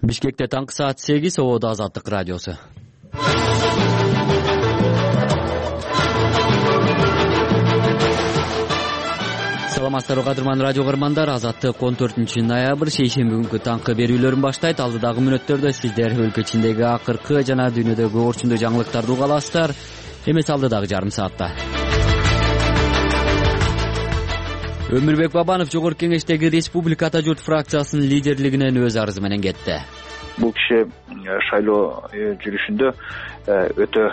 Бишкекте таңкы саат 8, Ободо Азаттык радиосу. Саламатсыздарбы кадырман радио көрөрмандар, Азаттык 14 ноябрь шейшемби күнкү таңкы берүүлөрүн баштайт. Алдыдагы мүнөттөрдө сиздер өлкө ичиндеги акыркы жана дүйнөдөгү орчундуу жаңылыктарды уга аласыздар. Эмес алдыдагы жарым саатта. Өмүрбек Бабанов Жогорку Кеңештеги Республика Ата журт фракциясынын лидерлигинен өз арызы менен кетти. Бул киши шайлоо жүрүшүндө өтө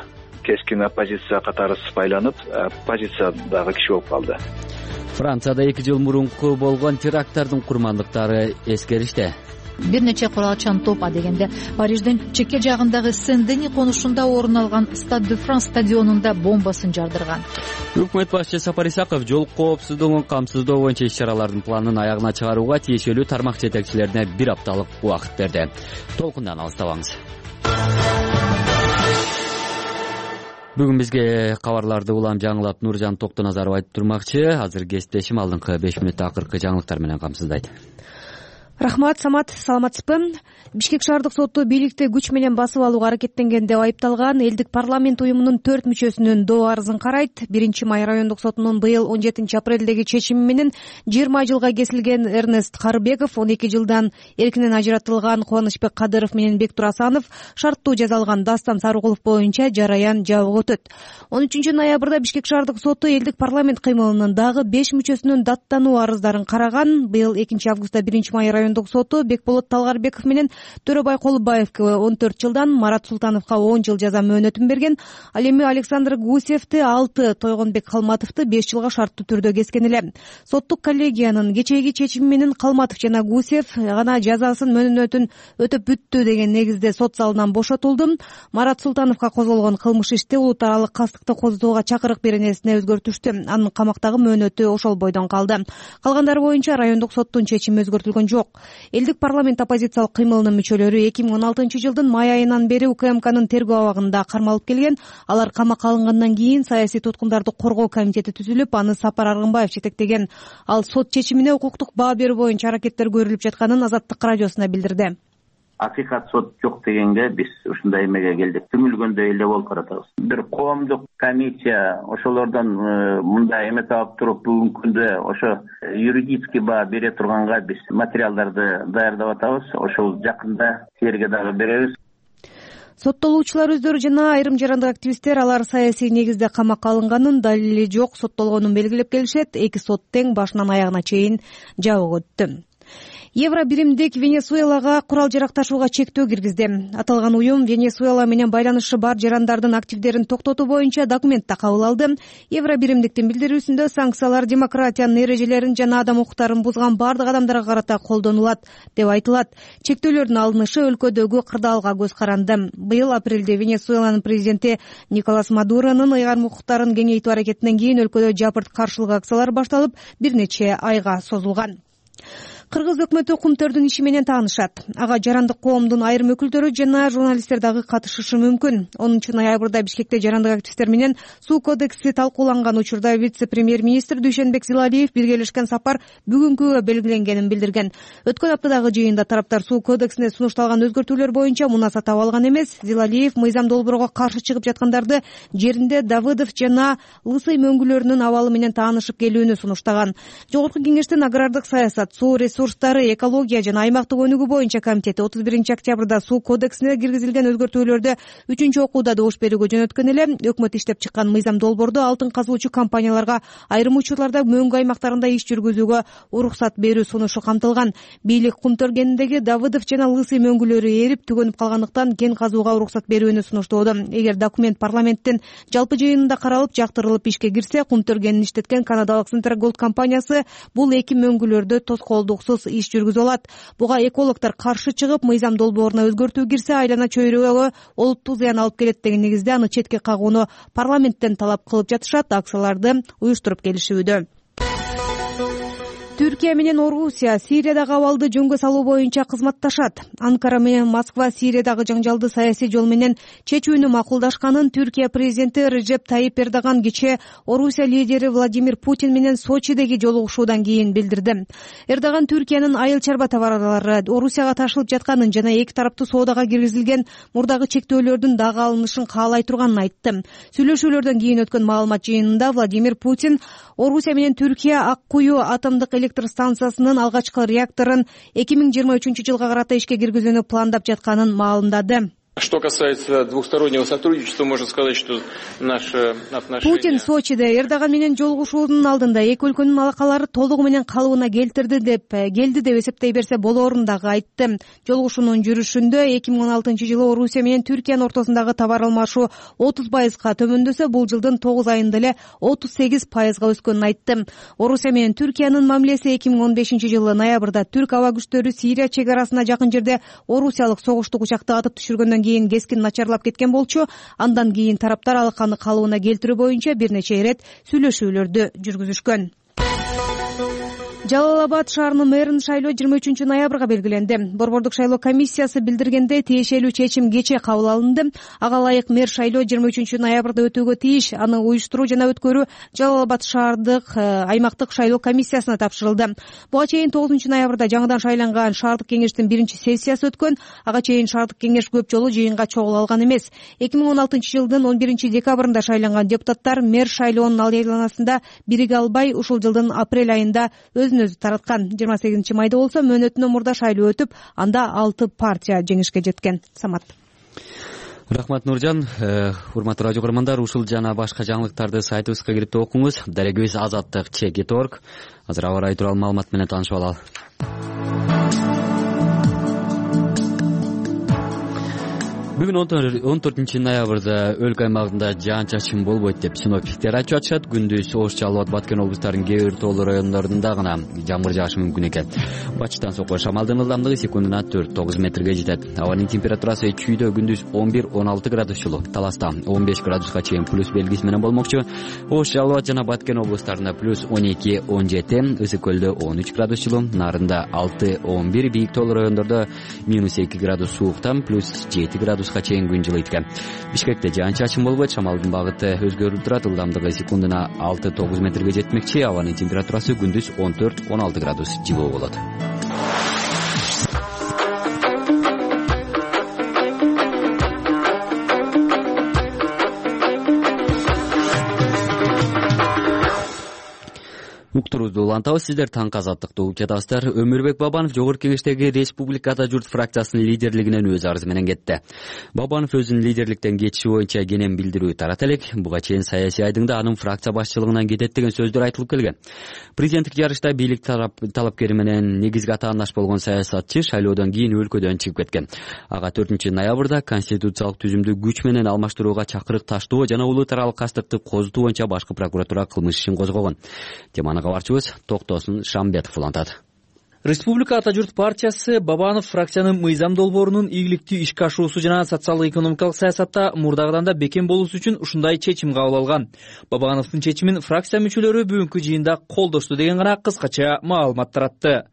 кескин оппозиция катары сыпайланып, оппозициядагы киши болуп калды. Францияда 2 жыл мурунку болгон теракттардын курмандыктары эскериште. Бир нече куралчан топ дегенде Париждин чекке жагындагы Сен-Дени конушунда орун алган Стade de France стадионунда бомбасын жардырган. Өкмөт башчысы Сапар Исаков жол коопсуздугун камсыздоо боюнча иш-чаралардын планын аягына чыгарууга тиешелүү тармак жетекчилерине 1 апталык убакыт берди. Толкундан алыстабаңыз. Бүгүн бизге кабарларды улам жаңылап Нуржан Токтоназаров айтып турмакчы. Азыр кесиптешим алдыңкы 5 мүнөттө акыркы жаңылыктар менен камсыздайт. Рахмат, Самат, саламатсызбы? Бишкек шаардык соту бийликти күч менен басып алууга аракеттенген деп айыпталган элдик парламент уюмунун 4 мүчөсүнүн доо арызын карайт. 1-Май райондук сотунун быйыл 17 апрелдеги чечими менен 20 жылга кесилген Эрнест Карыбеков, 12 жылдан эркинен ажыратылган Кубанычбек Кадыров менен Бектур Асанов шарттуу жазалган Дастан Сарыгулов боюнча жараян жабык өтөт. 13 ноябрда Бишкек шаардык соту элдик парламент кыймылынын дагы 5 мүчөсүнүн даттануу арыздарын караган. Быйыл 2 августта 1-Май райондук соту Бекболот Талгарбеков менен Төрөбай Колубаевке 14 жылдан, Марат Султановго 10 жыл жаза мөөнөтүн берген. Ал эми Александр Гусевди 6, Тойгонбек Калматовду 5 жылга шарттуу түрдө кескен эле. Соттук коллегиянын кечээги чечими менен Калматов жана Гусев гана жазасын мөөнөтүн өтөп бүттү деген негизде сот залынан бошотулду. Марат Султановго козголгон кылмыш ишти улут аралык кастыкты козутууга чакырык беренесине өзгөртүштү. Анын камактагы мөөнөтү ошол бойдон калды. Калгандары боюнча райондук соттун чечими өзгөртүлгөн жок. Элдик парламент оппозициялык кыймылынын мүчөлөрү 2016 жылдын май айынан бери УКМКнын тергөө абагында кармалып келген. Алар камакка алынгандан кийин саясий туткундарды коргоо комитети түзүлүп, аны Сапар Аргынбаев жетектеген. Ал сот чечимине укуктук баа берүү боюнча аракеттер көрүлүп жатканын Азаттык радиосуна билдирди. Акыйкат сот жок дегенге биз ушундай эмеге келдик. Түңүлгөндөй эле болуп баратабыз. Бир коомдук комиссия ошолордон мындай эметип алып туруп, бүгүнкү күндө ошо юридический баа бере турганга биз материалдарды даярдап атабыз. Ошол жакында силерге дагы беребиз. Соттолуучулар өздөрү жана айрым жарандык активисттер алар саясий негизде камакка алынганын, далили жок соттолгонун белгилеп келишет. 2 сот тең башынан аягына чейин жабык өттү. Евро биримдик Венесуэлага курал жарак ташууга чектөө киргизди. Аталган уюм Венесуэла менен байланышы бар жарандардын активдерин токтотуу боюнча документ да кабыл алды. Евро биримдиктин билдирүүсүндө санкциялар демократиянын эрежелерин жана адам укуктарын бузган бардык адамдарга карата колдонулат деп айтылат. Чектөөлөрдүн алынышы өлкөдөгү кырдаалга көз каранды. Быйыл апрелде Венесуэланын президенти Николас Мадуронун ыйгарым укуктарын кеңейтүү аракетинен кийин өлкөдө жапырт каршылык акциялар башталып, бир нече айга созулган. Кыргыз өкмөтү кумтөрдүн иши менен таанышат. Ага жарандык коомдун айрым өкүлдөрү жана журналисттер дагы катышышы мүмкүн. 10 ноябрда Бишкекте жарандык активисттер менен суу кодекси талкууланган учурда вице-премьер-министр Дүйшөнбек Зилалиев биргелешкен сапар бүгүнкүгө белгиленгенин билдирген. Өткөн аптадагы жыйында тараптар суу кодексине сунушталган өзгөртүүлөр боюнча мунаса таап алган эмес. Зилалиев мыйзам долбоорго каршы чыгып жаткандарды жеринде Давыдов жана Лысый мөңгүлөрүнүн абалы менен таанышып келүүнү сунуштаган. Жогорку кеңештин агрардык саясат, суу ресурстары, экология жана аймактык өнүгүү боюнча комитети 31 октябрда суу кодексине киргизилген өзгөртүүлөрдү 3 окууда добуш берүүгө жөнөткөн эле. Өкмөт иштеп чыккан мыйзам долбоордо алтын казуучу компанияларга айрым учурларда мөңгү аймактарында иш жүргүзүүгө уруксат берүү сунушу камтылган. Бийлик кум төргениндеги Давыдов жана Лысый мөңгүлөрү эрип түгөнүп калгандыктан кен казууга уруксат берүүнү сунуштоодо. Эгер документ парламенттин жалпы жыйынында каралып, жактырылып ишке кирсе, кум төргенин иштеткен канадалык Центрголд компаниясы бул 2 мөңгүлөрдү тоскоолдуксуз иш жүргүзө алат. Буга экологдор каршы чыгып, мыйзам долбооруна өзгөртүү кирсе, айлана чөйрөгө олуттуу зыян алып келет деген негизде аны четке кагууну парламенттен талап кылып жатышат. Акцияларды уюштуруп келишүүдө. Түркия менен Орусия Сириядагы абалды жөнгө салуу боюнча кызматташат. Анкара менен Москва Сириядагы жаңжалды саясий жол менен чечүүнү макулдашканын Түркия президенти Режеп Тайип Эрдоган кечээ Орусия лидери Владимир Путин менен Сочидеги жолугушуудан кийин билдирди. Эрдоган Түркиянын айыл чарба товарлары Орусияга ташылып жатканын жана эки тараптуу соодага киргизилген мурдагы чектөөлөрдүн дагы алынышын каалай турганын айтты. Сүйлөшүүлөрдөн кийин өткөн маалымат жыйынында Владимир Путин Орусия менен Түркия Ак Кую атомдук электр станциясынын алгачкы реакторун 2023-жылга карата ишке киргизүүнү пландап жатканын маалымдады. Что касается двухстороннего сотрудничества, можно сказать, что наши отношения... Путин Сочиде Эрдоган менен жолугушуунун алдында эки өлкөнүн алакалары толугу менен калыбына келди деп эсептей берсе болоорун дагы айтты. Жолугушуунун жүрүшүндө 2016-жылы Орусия менен Түркиянын ортосундагы товар алмашуу 30%га төмөндөсө, бул жылдын 9 айында эле 38%га өскөнүн айтты. Орусия менен Түркиянын мамилеси 2015-жылы ноябрда түрк аба күчтөрү Сирия чек арасына жакын жерде орусиялык согуштук учакты атып түшүргөндөн кийин кескин начарлап кеткен болчу. Андан кийин тараптар алаканы калыбына келтирүү боюнча бир нече ирет сүйлөшүүлөрдү жүргүзүшкөн. Жалал Абад шаарынын мэрин шайлоо 23-ноябрга белгиленди. Борбордук шайлоо комиссиясы билдиргенде тиешелүү чечим кечээ кабыл алынды. Ага ылайык мэр шайлоо 23-ноябрда өтүүгө тийиш. Аны уюштуруу жана өткөрүү Жалал Абад шаардык аймактык шайлоо комиссиясына тапшырылды. Буга чейин 9-ноябрда жаңыдан шайланган шаардык кеңештин биринчи сессиясы өткөн. Ага чейин шаардык кеңеш көп жолу жыйынга чогула алган эмес. 2016-жылдын 11-декабрында шайланган депутаттар мэр шайлоонун айланасында бириге албай, ушул жылдын апрель айында өзү тараткан. 28-майда болсо мөөнөтүнөн мурда шайлоо өтүп, анда 6 партия жеңишке жеткен. Самат. Рахмат Нуржан. Урматтуу радио көрөрмандар, ушул жана башка жаңылыктарды сайтыбызга кирип окуңуз. Дарегөз Азаттык ЧГ.org. Азыр аба ырайы тууралуу маалымат менен таанышып алалы. Бүгүн 14-ноябрда өлкө аймагында жаан-чачын болбойт деп синоптиктер айтып жатышат. Күндүз Ош, Жалал Абад, Баткен облустарынын кээ бир тоолуу райондорунда гана жамгыр жаашы мүмкүн экен. Батыштан соккон шамалдын ылдамдыгы секундуна 4-9 метрге жетет. Абанын температурасы чүйдө күндүз 11-16 градус жылуу, Таласта 15 градуска чейин плюс белгиси менен болмокчу. Ош, Жалал Абад жана Баткен облустарында плюс 12-17, Ысык көлдө 13 градус жылуу, Нарында 6-11, бийик тоолуу райондордо минус 2 градус сууктан плюс 7 градус чейин күн жылыйт экен. Бишкекте жаан-чачын болбойт, шамалдын багыты өзгөрүп турат, ылдамдыгы секундуна 6-9 метрге жетмекчи. Абанын температурасы күндүз 14-16 градус жылуу болот. Уктурубузду улантабыз. Сиздер таңкы азаттыкты угуп жатасыздар. Өмүрбек Бабанов Жогорку Кеңештеги Республика Ата журт фракциясынын лидерлигинен өз арызы менен кетти. Бабанов өзүнүн лидерликтен кетиши боюнча кенен билдирүү тарата элек. Буга чейин саясий айдыңда анын фракция башчылыгынан кетет деген сөздөр айтылып келген. Президенттик жарышта бийлик талапкери менен негизги атаандаш болгон саясатчы шайлоодон кийин өлкөдөн чыгып кеткен. Ага 4-ноябрда конституциялык түзүмдү күч менен алмаштырууга чакырык таштоо жана улуу таралык кастыкты козутуу боюнча башкы прокуратура кылмыш ишин козгогон. Теманы кабарчыбыз Токтосун Шамбетов улантат. Республика Ата журт партиясы Бабанов фракциянын мыйзам долбоорунун ийгиликтүү ишке ашуусу жана социалдык экономикалык саясатта мурдагыдан да бекем болуусу үчүн ушундай чечим кабыл алган. Бабановдун чечимин фракция мүчөлөрү бүгүнкү жыйында колдошту деген гана кыскача маалымат таратты.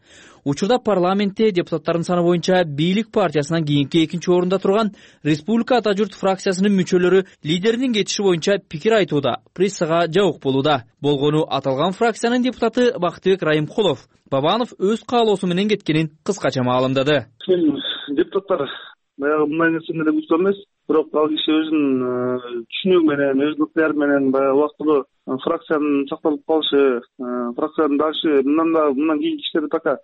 Учурда парламентте депутаттардын саны боюнча бийлик партиясынан кийинки экинчи орунда турган Республика Ата журт фракциясынын мүчөлөрү лидеринин кетиши боюнча пикир айтууда, прессага жабык болууда. Болгону аталган фракциянын депутаты Бактыбек Райымкулов Бабанов өз каалоосу менен кеткенин кыскача маалымдады. Депутаттар баягы мындай нерсени эле күткөн эмес, бирок ал киши өзүнүн түшүнүгү менен, өзүнүн ыктыяры менен баягы убактылуу фракциянын сакталып калышы, фракциянын дагы мындан кийинки иштерди пока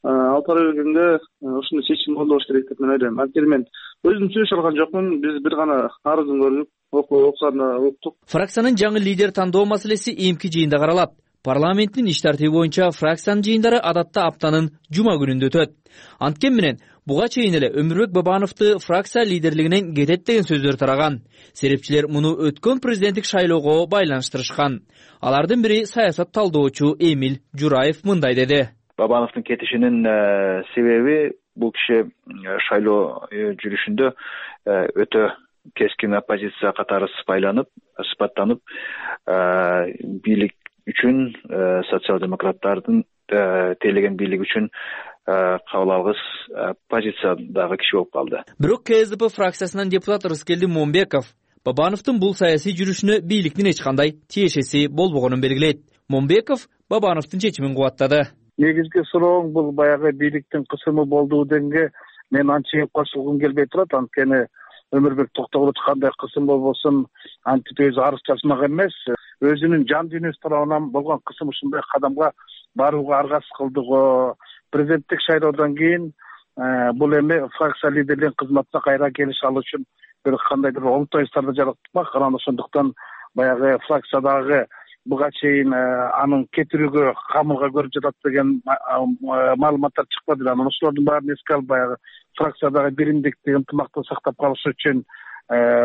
алып бара бергенде ушундай чечим колдош керек деп мен ойлойм. Анткени мен өзүм сүйлөшө алган жокмун, биз бир гана арызын көрүп, окуганда уктук. Фракциянын жаңы лидер тандоо маселеси эмки жыйында каралат. Парламенттин иш тартиби боюнча фракциянын жыйындары адатта аптанын жума күнүндө өтөт. Анткени менен буга чейин эле Өмүрбек Бабановду фракция лидерлигинен кетет деген сөздөр тараган. Серепчилер муну өткөн президенттик шайлоого байланыштырышкан. Алардын бири саясат талдоочу Эмил Жураев мындай деди. Бабановдун кетишинин себеби бул киши шайлоо жүрүшүндө өтө кескин оппозиция катары сыпаттанып бийлик үчүн социал-демократтардын тейлеген бийлик үчүн кабыл алгыс позициядагы киши болуп калды. Бирок КСДП фракциясынан депутат Рыскелди Момбеков Бабановдун бул саясий жүрүшүнө бийликтин эч кандай тиешеси болбогонун белгилейт. Момбеков Бабановдун чечимин кубаттады. Негизги сурооң бул баягы бийликтин кысымы болду дегенге мен анча кошулгум келбей турат. Анткени Өмүрбек Токтогулович кандай кысым болбосун антип өзү арыз жазмак эмес. Өзүнүн жан дүйнөсү тарабынан болгон кысым ушундай кадамга барууга аргасыз кылдыгы. Президенттик шайлоодон кийин бул эми фракция лидерлеринин кызматына кайра келише алуу үчүн бир кандайдыр оңтойсуздарды жараткак. Анан ошондуктан баягы фракциядагы буга чейин анын кетирүүгө камылга көрүп жатат деген маалыматтар чыкпады. Анан ошолордун баарын эске алып баягы фракциядагы биримдикти, ынтымакты сактап калыш үчүн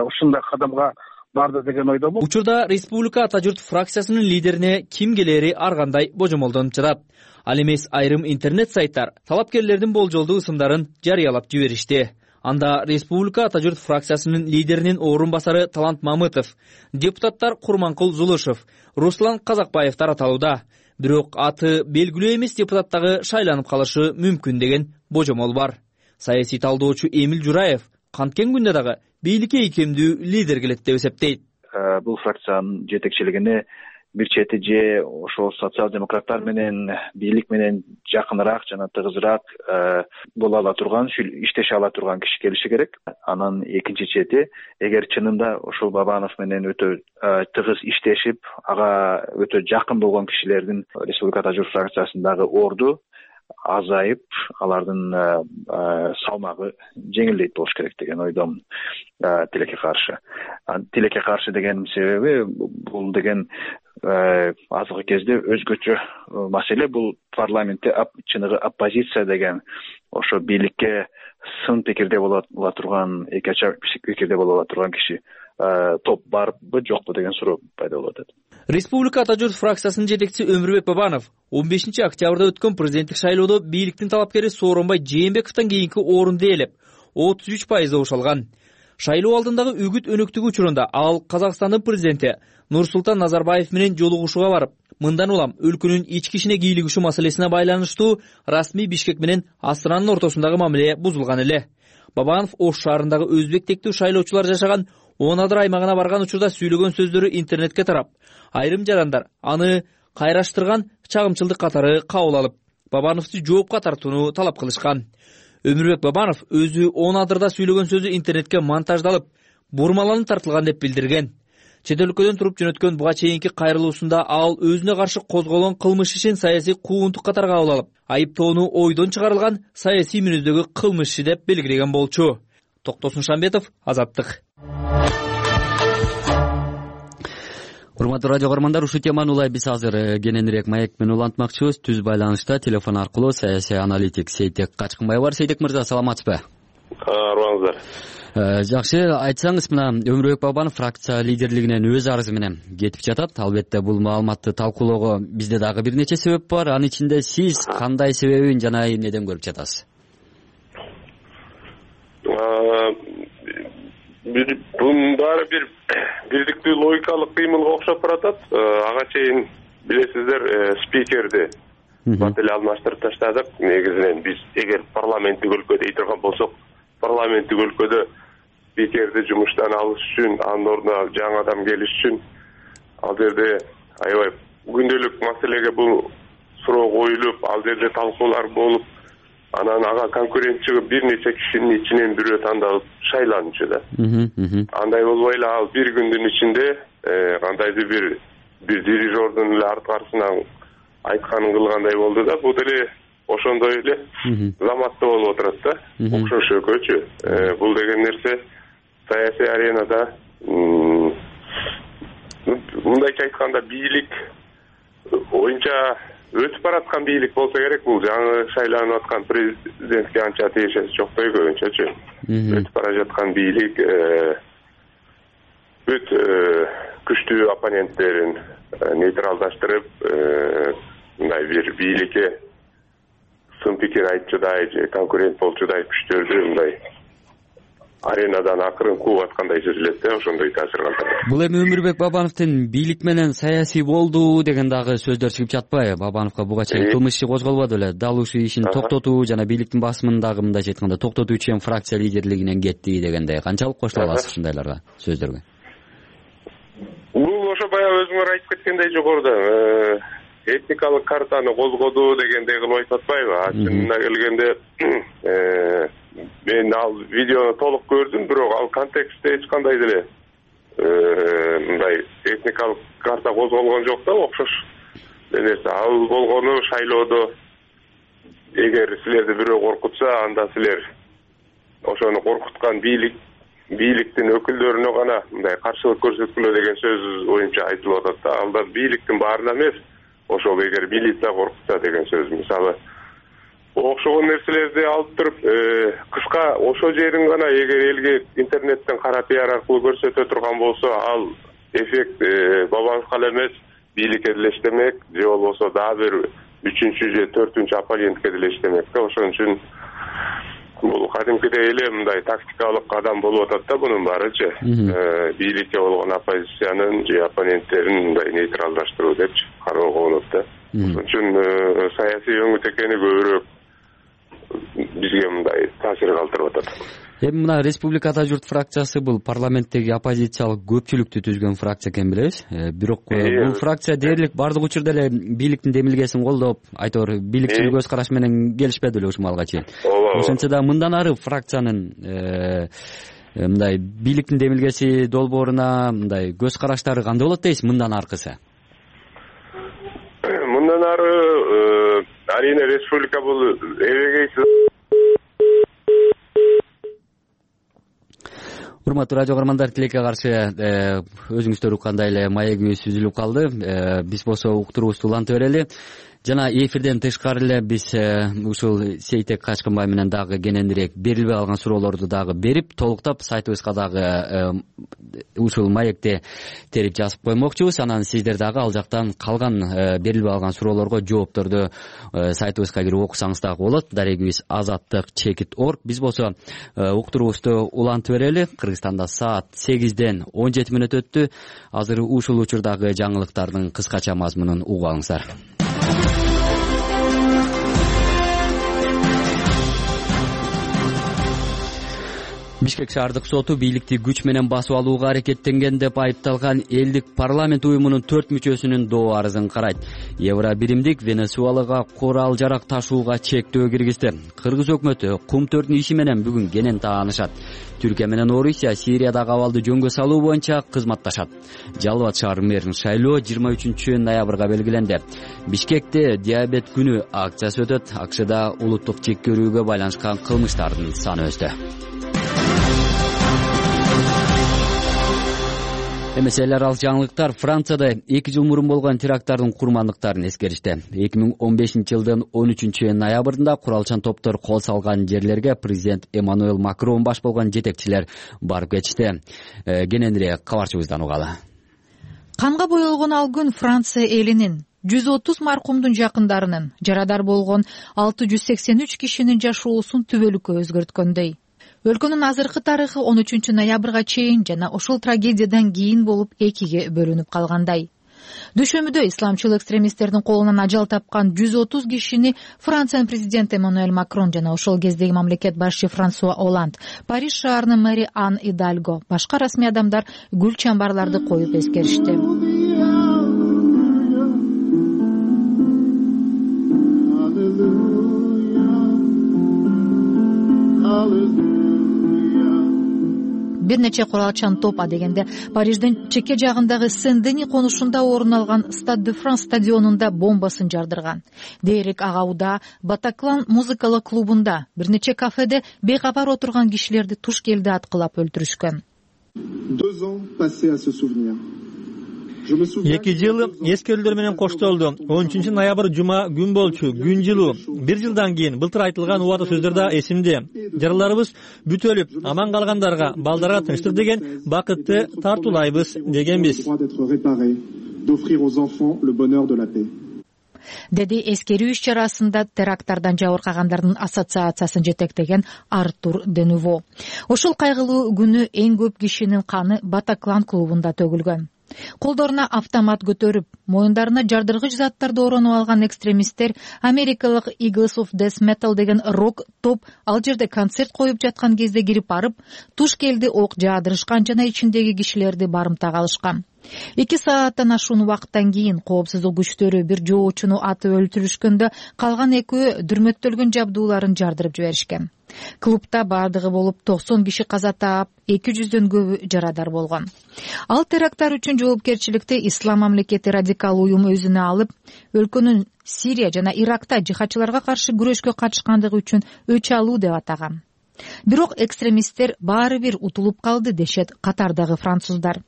ушундай кадамга барды деген ойдомун. Учурда Республика Ата журт фракциясынын лидерине ким келери ар кандай божомолдонуп жатат. Ал эмес айрым интернет сайттар талапкерлердин болжолдуу ысымдарын жарыялап жиберишти. Анда Республика Ата журт фракциясынын лидеринин орун басары Талант Мамытов, депутаттар Курманкул Зулушев, Руслан Казакбаевдер аталууда. Бирок аты белгилүү эмес депутаттагы шайланып калышы мүмкүн деген божомол бар. Саясий талдоочу Эмил Жураев канткен күндө дагы бийликке ийкемдүү лидер келет деп эсептейт. Бул фракциянын жетекчилигине бир чети же ошол социал-демократтар менен бийлик менен жакыныраак жана тыгызыраак боло ала турган, иштеше ала турган киши келиши керек. Анан экинчи чети эгер чынында ошол Бабанов менен өтө тыгыз иштешип, ага өтө жакын болгон кишилердин Республика Ата журт фракциясындагы орду азайып, алардын салмагы жеңилдейт болуш керек деген ойдомун. Тилекке каршы. Тилекке каршы дегенин себеби бул деген азыркы кезде өзгөчө маселе. Бул парламентте чыныгы оппозиция деген ошо бийликке сын пикирде боло турган, эки ача пикирде боло турган киши топ барбы жокпу деген суроо пайда болуп атат. Республика Ата журт фракциясынын жетекчиси Өмүрбек Бабанов 15 октябрда өткөн президенттик шайлоодо бийликтин талапкери Сооронбай Жээнбековдон кийинки орунду ээлеп 33% добуш алган. Шайлоо алдындагы үгүт өнөктүгү учурунда ал Казакстандын президенти Нурсултан Назарбаев менен жолугушууга барып, мындан улам өлкөнүн ички ишине кийлигишүү маселесине байланыштуу расмий Бишкек менен Астананын ортосундагы мамиле бузулган эле. Бабанов Ош шаарындагы өзбек тектүү шайлоочулар жашаган Онадыр аймагына барган учурда сүйлөгөн сөздөрү интернетке тарап, айрым жарандар аны кайраштырган чагымчылдык катары кабыл алып, Бабановду жоопко тартууну талап кылышкан. Өмүрбек Бабанов өзү Онадырда сүйлөгөн сөзү интернетке монтаждалып, бурмаланып тартылган деп билдирген. Чет өлкөдөн туруп жөнөткөн буга чейинки кайрылуусунда ал өзүнө каршы козголгон кылмыш ишин саясий куугунтук катары кабыл алып, айыптоону ойдон чыгарылган саясий мүнөздөгү кылмыш иши деп белгилеген болчу. Токтосун Шамбетов, Азаттык. Урматтуу радио көрөрмандар, ушул теманы улай биз азыр кененирээк маек менен улантмакчыбыз. Түз байланышта телефон аркылуу саясий аналитик Сейтек Качкынбай бар. Сейтек мырза, саламатсызбы? Арбаңыздар. Жакшы, айтсаңыз, мына Өмүрбек Бабанов фракция лидерлигинен өз арызы менен кетип жатат. Албетте бул маалыматты талкуулоого бизде дагы бир нече себеп бар. Анын ичинде сиз кандай себебин жана эмнеден көрүп жатасыз? Bunun bari bir birliktүү логикалык кыймылга окшоп баратат. Ага чейин билесиздер, спикерди бат эле алмаштырып таштадык. Негизинен биз эгер парламенттик өлкөдө дей турган болсок, парламенттик өлкөдө спикерди жумуштан алыш үчүн, анын ордуна жаңы адам келиш үчүн ал жерде аябай күндөлүк маселеге бул суроо коюлуп, ал жерде талкуулар болуп, анан ага конкурент чыгып бир нече кишинин ичинен бирөө тандалып шайланчу да. Андай болбой эле ал бир күндүн ичинде кандайдыр бир дирижердун эле арткарысынан айтканын кылгандай болду да. Бул деле ошондой эле заматта болуп отурат да. Окшош экөөчү. Бул деген нерсе саясий аренада мындайча айтканда бийлик оюнча өтүп бараткан бийлик болсо керек. Бул жаңы шайланып аткан президентке анча тиешеси жоктой көбүнчөчү. Өтүп бара жаткан бийлик бүт күчтүү оппоненттерин нейтралдаштырып, мындай бир бийликке сын пикир айтчудай же конкурент болчудай күчтөрдү мындай аренадан акырын кууп аткандай сезилет да, ошондой таасир калтырат. Бул эми Өмүрбек Бабановдун бийлик менен саясий болду деген дагы сөздөр чыгып жатпайбы? Бабановго буга чейин кылмыш иши козголбоду беле? Дал ушул ишин токтотуу жана бийликтин басымын дагы мындайча айтканда токтотуу үчүн фракция лидерлигинен кетти дегендей. Канчалык кошула аласыз ушундайларга, сөздөргө? Бул ошо баягы өзүңөр айтып кеткендей жогоруда этникалык картаны козгоду дегендей кылып айтып атпайбы? Чынына келгенде мен ал видеону толук көрдүм, бирок ал контекстте эч кандай деле мындай этникалык карта козголгон жок да, окшош нерсе. Ал болгону шайлоодо эгер силерди бирөө коркутса, анда силер ошону коркуткан бийликтин өкүлдөрүнө гана мындай каршылык көрсөткүлө деген сөз оюмча айтылып атат да. Ал да бийликтин баарына эмес, ошол эгер милиция коркутса деген сөз. Мисалы окшогон нерселерди алып туруп кыска ошол жерин гана эгер элге интернеттен кара пиар аркылуу көрсөтө турган болсо, ал эффект Бабановго эле эмес, бийликке деле иштемек, же болбосо дагы бир 3-чү же 4-чү оппонентке деле иштемек да. Ошон үчүн бул кадимкидей эле мындай тактикалык кадам болуп атат да, бунун баарычы. Бийликке болгон оппозициянын же оппоненттерин мындай нейтралдаштыруу депчи кароого болот да. Ошон үчүн саясий өңүт экени көбүрөөк бизге мындай таасир калтырып атат. Эми мына Республика Ата журт фракциясы бул парламенттеги оппозициялык көпчүлүктү түзгөн фракция экен билебиз. Бирок бул фракция дээрлик бардык учурда эле бийликтин демилгесин колдоп, айтор бийликчил көз караш менен келишпеди эле ушул малга чейин. Ошентсе да мындан ары фракциянын мындай бийликтин демилгеси долбооруна мындай көз караштары кандай болот дейсиз мындан аркысы? Мындан ары арийне республика бул эбегейсиз. Урматтуу радио көрөрмандар, тилекке каршы өзүңүздөр уккандай эле маегибиз үзүлүп калды. Биз болсо уктуруубузду уланта берели. Жана эфирден тышкары эле биз ушул Сейтек Качкынбай менен дагы кененирээк берилбей калган суроолорду дагы берип, толуктап сайтыбызга дагы ушул маекти терип жазып коймокчубуз. Анан сиздер дагы ал жактан калган берилбей калган суроолорго жоопторду сайтыбызга кирип окусаңыз дагы болот. Дарегибиз azattik.org. Биз болсо уктуруубузду улантып берели. Кыргызстанда саат 8ден 17 мүнөт өттү. Азыр ушул учурдагы жаңылыктардын кыскача мазмунун угуп алыңыздар. Бишкек шаардык соту бийликти күч менен басып алууга аракеттенген деп айыпталган элдик парламент уюмунун 4 мүчөсүнүн доо арызын карайт. Евробиримдик Венесуэлага курал жарак ташууга чектөө киргизди. Кыргыз өкмөтү кум төрдүн иши менен бүгүн кенен таанышат. Түркия менен Орусия Сириядагы абалды жөнгө салуу боюнча кызматташат. Жалал Абад шаар мэринин шайлоо 23 ноябрга белгиленди. Бишкекте диабет күнү акциясы өтөт. АКШда улуттук чеккөрүүгө байланышкан кылмыштардын саны өстү. Эмеселер ал жаңылыктар Францияда 2 жыл мурун болгон теракттардын курмандыктарын эскеришти. 2015-жылдын 13 ноябрында куралчан топтор кол салган жерлерге президент Эммануэль Макрон баш болгон жетекчилер барып кетишти. Кененирээк кабарчыбыздан угалы. Канга боелгон ал күн Франция элинин 130 маркумдун жакындарынын, жарадар болгон 683 кишинин жашоосун түбөлүккө өзгөрткөндөй. Өлкөнүн азыркы тарыхы 13 ноябрга чейин жана ошол трагедиядан кийин болуп экиге бөлүнүп калгандай. Дүйшөмбүдө исламчыл экстремисттердин колунан ажал тапкан 130 кишини Франциянын президенти Эммануэль Макрон жана ошол кездеги мамлекет башчы Франсуа Оланд, Париж шаарынын мэри Ан Идальго, башка расмий адамдар гүл чамбарларды коюп эскеришти. Бир нече куралчан топ адегенде Париждин чекке жагындагы Сен-Дени конушунда орун алган Stade de France стадионунда бомбасын жардырган. Дейрек Агауда, Батаклан музыкалык клубунда, бир нече кафеде бейкабар отурган кишилерди туш келди аткылап өлтүрүшкөн. 2 ans passés à se souvenir. 2 жыл эскерүүлөр менен коштолду. 13 ноябрь жума күн болчу, күн жылуу. 1 жылдан кийин былтыр айтылган убада сөздөр да эсимде. Жараларыбыз бүт өлүп, аман калгандарга, балдарга тынчтык деген бакытты тартуулайбыз дегенбиз. деди эскерүү иш-чарасында теракттардан жабыркагандардын ассоциациясын жетектеген Артур Денуво. Ушул кайгылуу күнү эң көп кишинин каны Батаклан клубунда төгүлгөн. Колдоруна автомат көтөрүп, моюндарына жардыргыч заттарды оронуп алган экстремисттер америкалык Eagles of Death Metal деген рок топ ал жерде концерт коюп жаткан кезде кирип барып, туш келди ок жаадырышкан жана ичиндеги кишилерди барымтага алышкан. 2 сааттан ашуун убакыттан кийин коопсуздук күчтөрү бир жоочуну атып өлтүрүшкөндө калган экөө дүрмөттөлгөн жабдууларын жардырып жиберишкен. Клубда бардыгы болуп 90 киши каза таап, 200дөн көбү жарадар болгон. Ал теракттар үчүн жоопкерчиликти Ислам мамлекети радикал уюм өзүнө алып, өлкөнүн Сирия жана Иракта жихадчыларга каршы күрөшкө катышкандыгы үчүн өч алуу деп атаган. Бирок экстремисттер баары бир утулуп калды дешет катардагы француздар.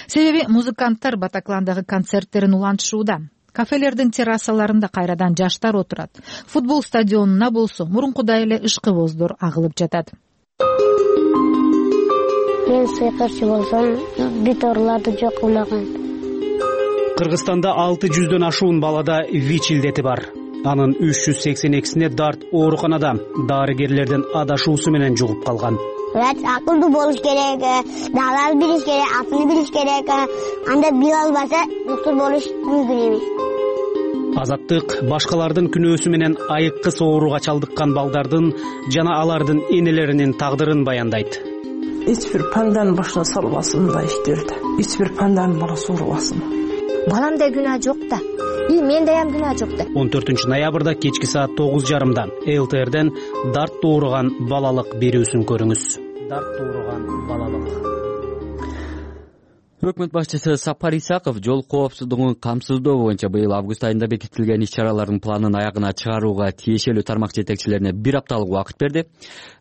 Себеби музыканттар Батакландагы концерттерин улантышууда. Кафелердин террасаларында кайрадан жаштар отурат. Футбол стадионуна болсо мурункудай эле ышкыбоздор агылып жатат. Мен сыйкырчы болсом, биторларды жок кылмаган. Кыргызстанда 600дөн ашуун балада ВИЧ илдети бар. Анын 382сине дарт ооруканада дарыгерлердин адашуусу менен жугуп калган. Врач акылдуу болуш керек, дагаларды билиш керек, атын билиш керек. Анда биле албаса, доктор болуш мүмкүн эмес. Азаттык башкалардын күнөөсү менен айыккыс ооруга чалдыккан балдардын жана алардын энелеринин тагдырын баяндайт. Эч бир панданын башына салбасын мындай иштерди. Эч бир панданын баласы оорубасын. Баламда күнөө жок да. Менде ham күнөө жок да. 14 ноябрда кечки саат 9:30 ЛТРден дарт ооруган балалык берүүсүн көрүңүз. Дарт ооруган балалык. Өкмөт башчысы Сапар Исаков жол коопсуздугун камсыздоо боюнча быйыл август айында бекитилген иш-чаралардын планын аягына чыгарууга тиешелүү тармак жетекчилерине 1 апталык убакыт берди.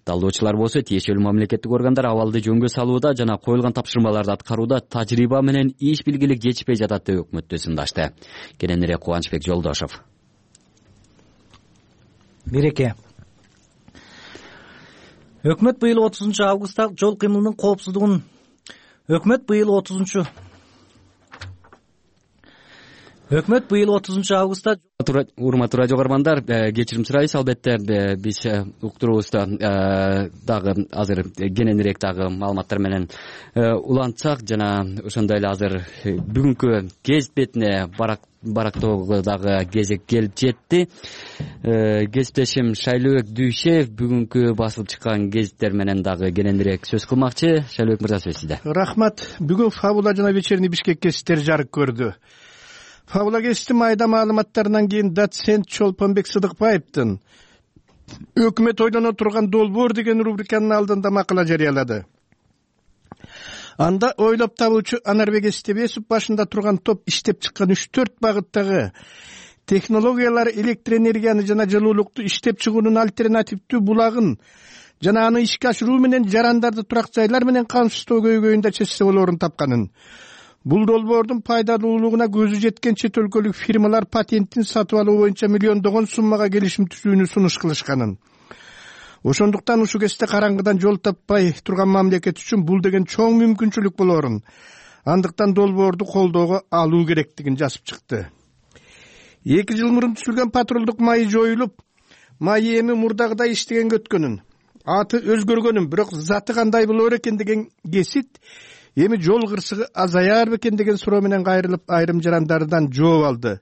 Талдоочулар болсо тиешелүү мамлекеттик органдар абалды жөнгө салууда жана коюлган тапшырмаларды аткарууда тажрыйба менен иш билгилик жетишпей жатат деп өкмөттү сындашты. Кененирээк Кубанычбек Жолдошов. Береке. Өкмөт быйыл 30 августта жол кыймылынын коопсуздугун Өкмөт быйыл 30 августта урматтуу радио көрөрмандар, кечирим сурайбыз. Албетте биз уктуруубузда дагы азыр кененирээк дагы маалыматтар менен улантсак жана ошондой эле азыр бүгүнкү кезбетине барактоого дагы кезек келип жетти. Кесиптешим Шайлообек Дүйшев бүгүнкү басылып чыккан гезиттер менен дагы кененирээк сөз кылмакчы. Шайлообек мырза, сөз сизде. Рахмат. Бүгүн Фабула жана Вечерний Бишкек гезиттери жарык көрдү. Фабула гезитин майда маалыматтарынан кийин доцент Чолпонбек Сыдыкбаевдин өкмөт ойлоно турган долбоор деген рубриканын алдында макала жарыялады. Анда ойлоп табуучу Анарбек Эстебесов башында турган топ иштеп чыккан 3-4 багыттагы технологиялар электр энергияны жана жылуулукту иштеп чыгуунун альтернативдүү булагын жана аны ишке ашыруу менен жарандарды турак жайлар менен камсыздоо көйгөйүндө чечсе болоорун тапканын. Бул долбоордун пайдалуулугуна көзү жеткен чет өлкөлүк фирмалар патентин сатып алуу боюнча миллиондогон суммага келишим түзүүнү сунуш кылышканын. Ошондуктан ушул кезде караңгыдан жол таппай турган мамлекет үчүн бул деген чоң мүмкүнчүлүк болоорун, андыктан долбоорду колдоого алуу керектигин жазып чыкты. 2 жыл мурун түзүлгөн патрулдук майы жоюлуп, майы эми мурдагыдай иштегенге өткөнүн, аты өзгөргөнүн, бирок заты кандай болор экен деген кесит эми жол кырсыгы азаяр бекен деген суроо менен кайрылып айрым жарандардан жооп алды.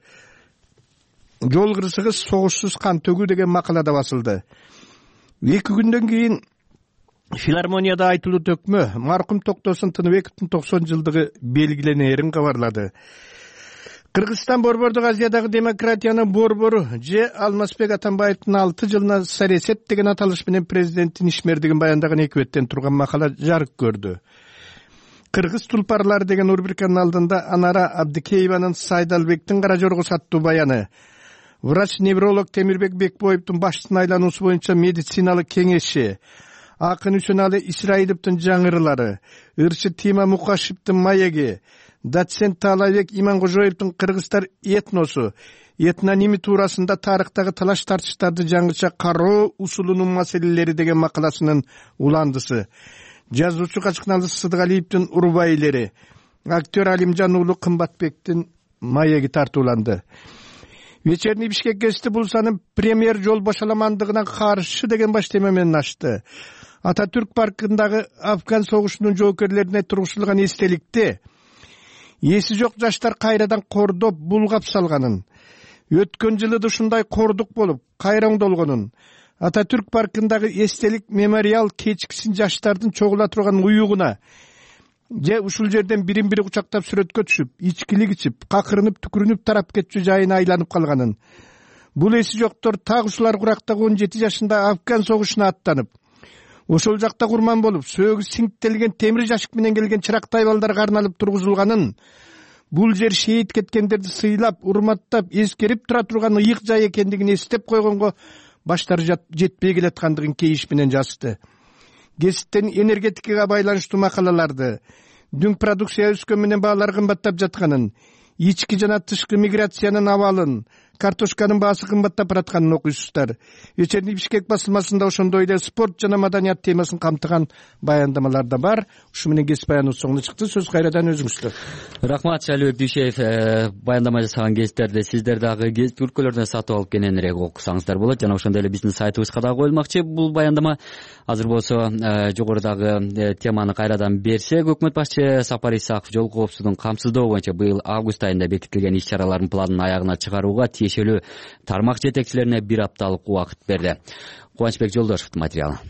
Жол кырсыгы согушсуз кан төгүү деген макалада басылды. 2 күндөн кийин филармонияда айтылуу төкмө маркум Токтосун Тыныбековдун 90 жылдыгы белгиленээрин кабарлады. Кыргызстан борбордук Азиядагы демократиянын борбору же Алмазбек Атамбаевдин 6 жылына саресет деген аталыш менен президенттин ишмердигин баяндаган 2 беттен турган макала жарык көрдү. Кыргыз тулпарлары деген рубриканын алдында Анара Абдикееванын Сайдалбектин кара жорго саттуу баяны, врач-невролог Темирбек Бекбоевдун баштын айлануусу боюнча медициналык кеңеши, Акын Үсөналы Исраиловдун жаңырылары, ырчы Тима Мукашевдин маеги, доцент Таалайбек Иманкожоевдун кыргыздар этносу, этноними туурасында тарыхтагы талаш тартыштарды жаңыча кароо усулунун маселелери деген макаласынын уландысы, жазуучу Качкыналы Сыдыгалиевдин урбайлери, актер Алимжан уулу Кымбатбектин маеги тартууланды. Вечерний Бишкек гезити бул саны премьер жол бошоламандыгына каршы деген баш тема менен ачты. Ататүрк паркындагы Афган согушунун жоокерлерине тургузулган эстеликти эси жок жаштар кайрадан кордоп, булгап салганын, өткөн жылы да ушундай кордук болуп, кайра оңдолгонун, Ататүрк паркындагы эстелик мемориал кечкисин жаштардын чогула турган уюгуна же ушул жерден бирин бири кучактап сүрөткө түшүп, ичкилик ичип, какырынып, түкүрүнүп тарап кетчү жайына айланып калганын, бул эси жоктор так ушулар курактагы 17 жашында Афган согушуна аттанып, ошол жакта курман болуп, сөөгү сиңиктелген темир жашык менен келген чырактай балдарга арналып тургузулганын, бул жер шейит кеткендерди сыйлап, урматтап, эскерип тура турган ыйык жай экендигин эстеп койгонго баштары жетпей келаткандыгын кейиш менен жазды. Гезиттен энергетикага байланыштуу макалаларды, дүң продукция өскөн менен баалар кымбаттап жатканын, ички жана тышкы миграциянын абалын, картошканын баасы кымбаттап баратканын окуйсуздар. Вечерний Бишкек басылмасында ошондой эле спорт жана маданият темасын камтыган баяндамалар да бар. Ушу менен кесип баяныбыз соңуна чыкты. Сөз кайрадан өзүңүздө. Рахмат Шайлыбек Дүйшеев. Баяндама жасаган гезиттерди сиздер дагы гезит өлкөлөрүнөн сатып алып кененирээк окусаңыздар болот. Жана ошондой эле биздин сайтыбызга дагы коюлмакчы бул баяндама. Азыр болсо жогорудагы теманы кайрадан берсек, өкмөт башчы Сапар Исаков жол коопсуздугун камсыздоо боюнча быйыл август айында бекитилген иш-чаралардын планын аягына чыгарууга тиешелүү тармак жетекчилерине 1 апталык убакыт берди. Кубанычбек Жолдошевдун материалы.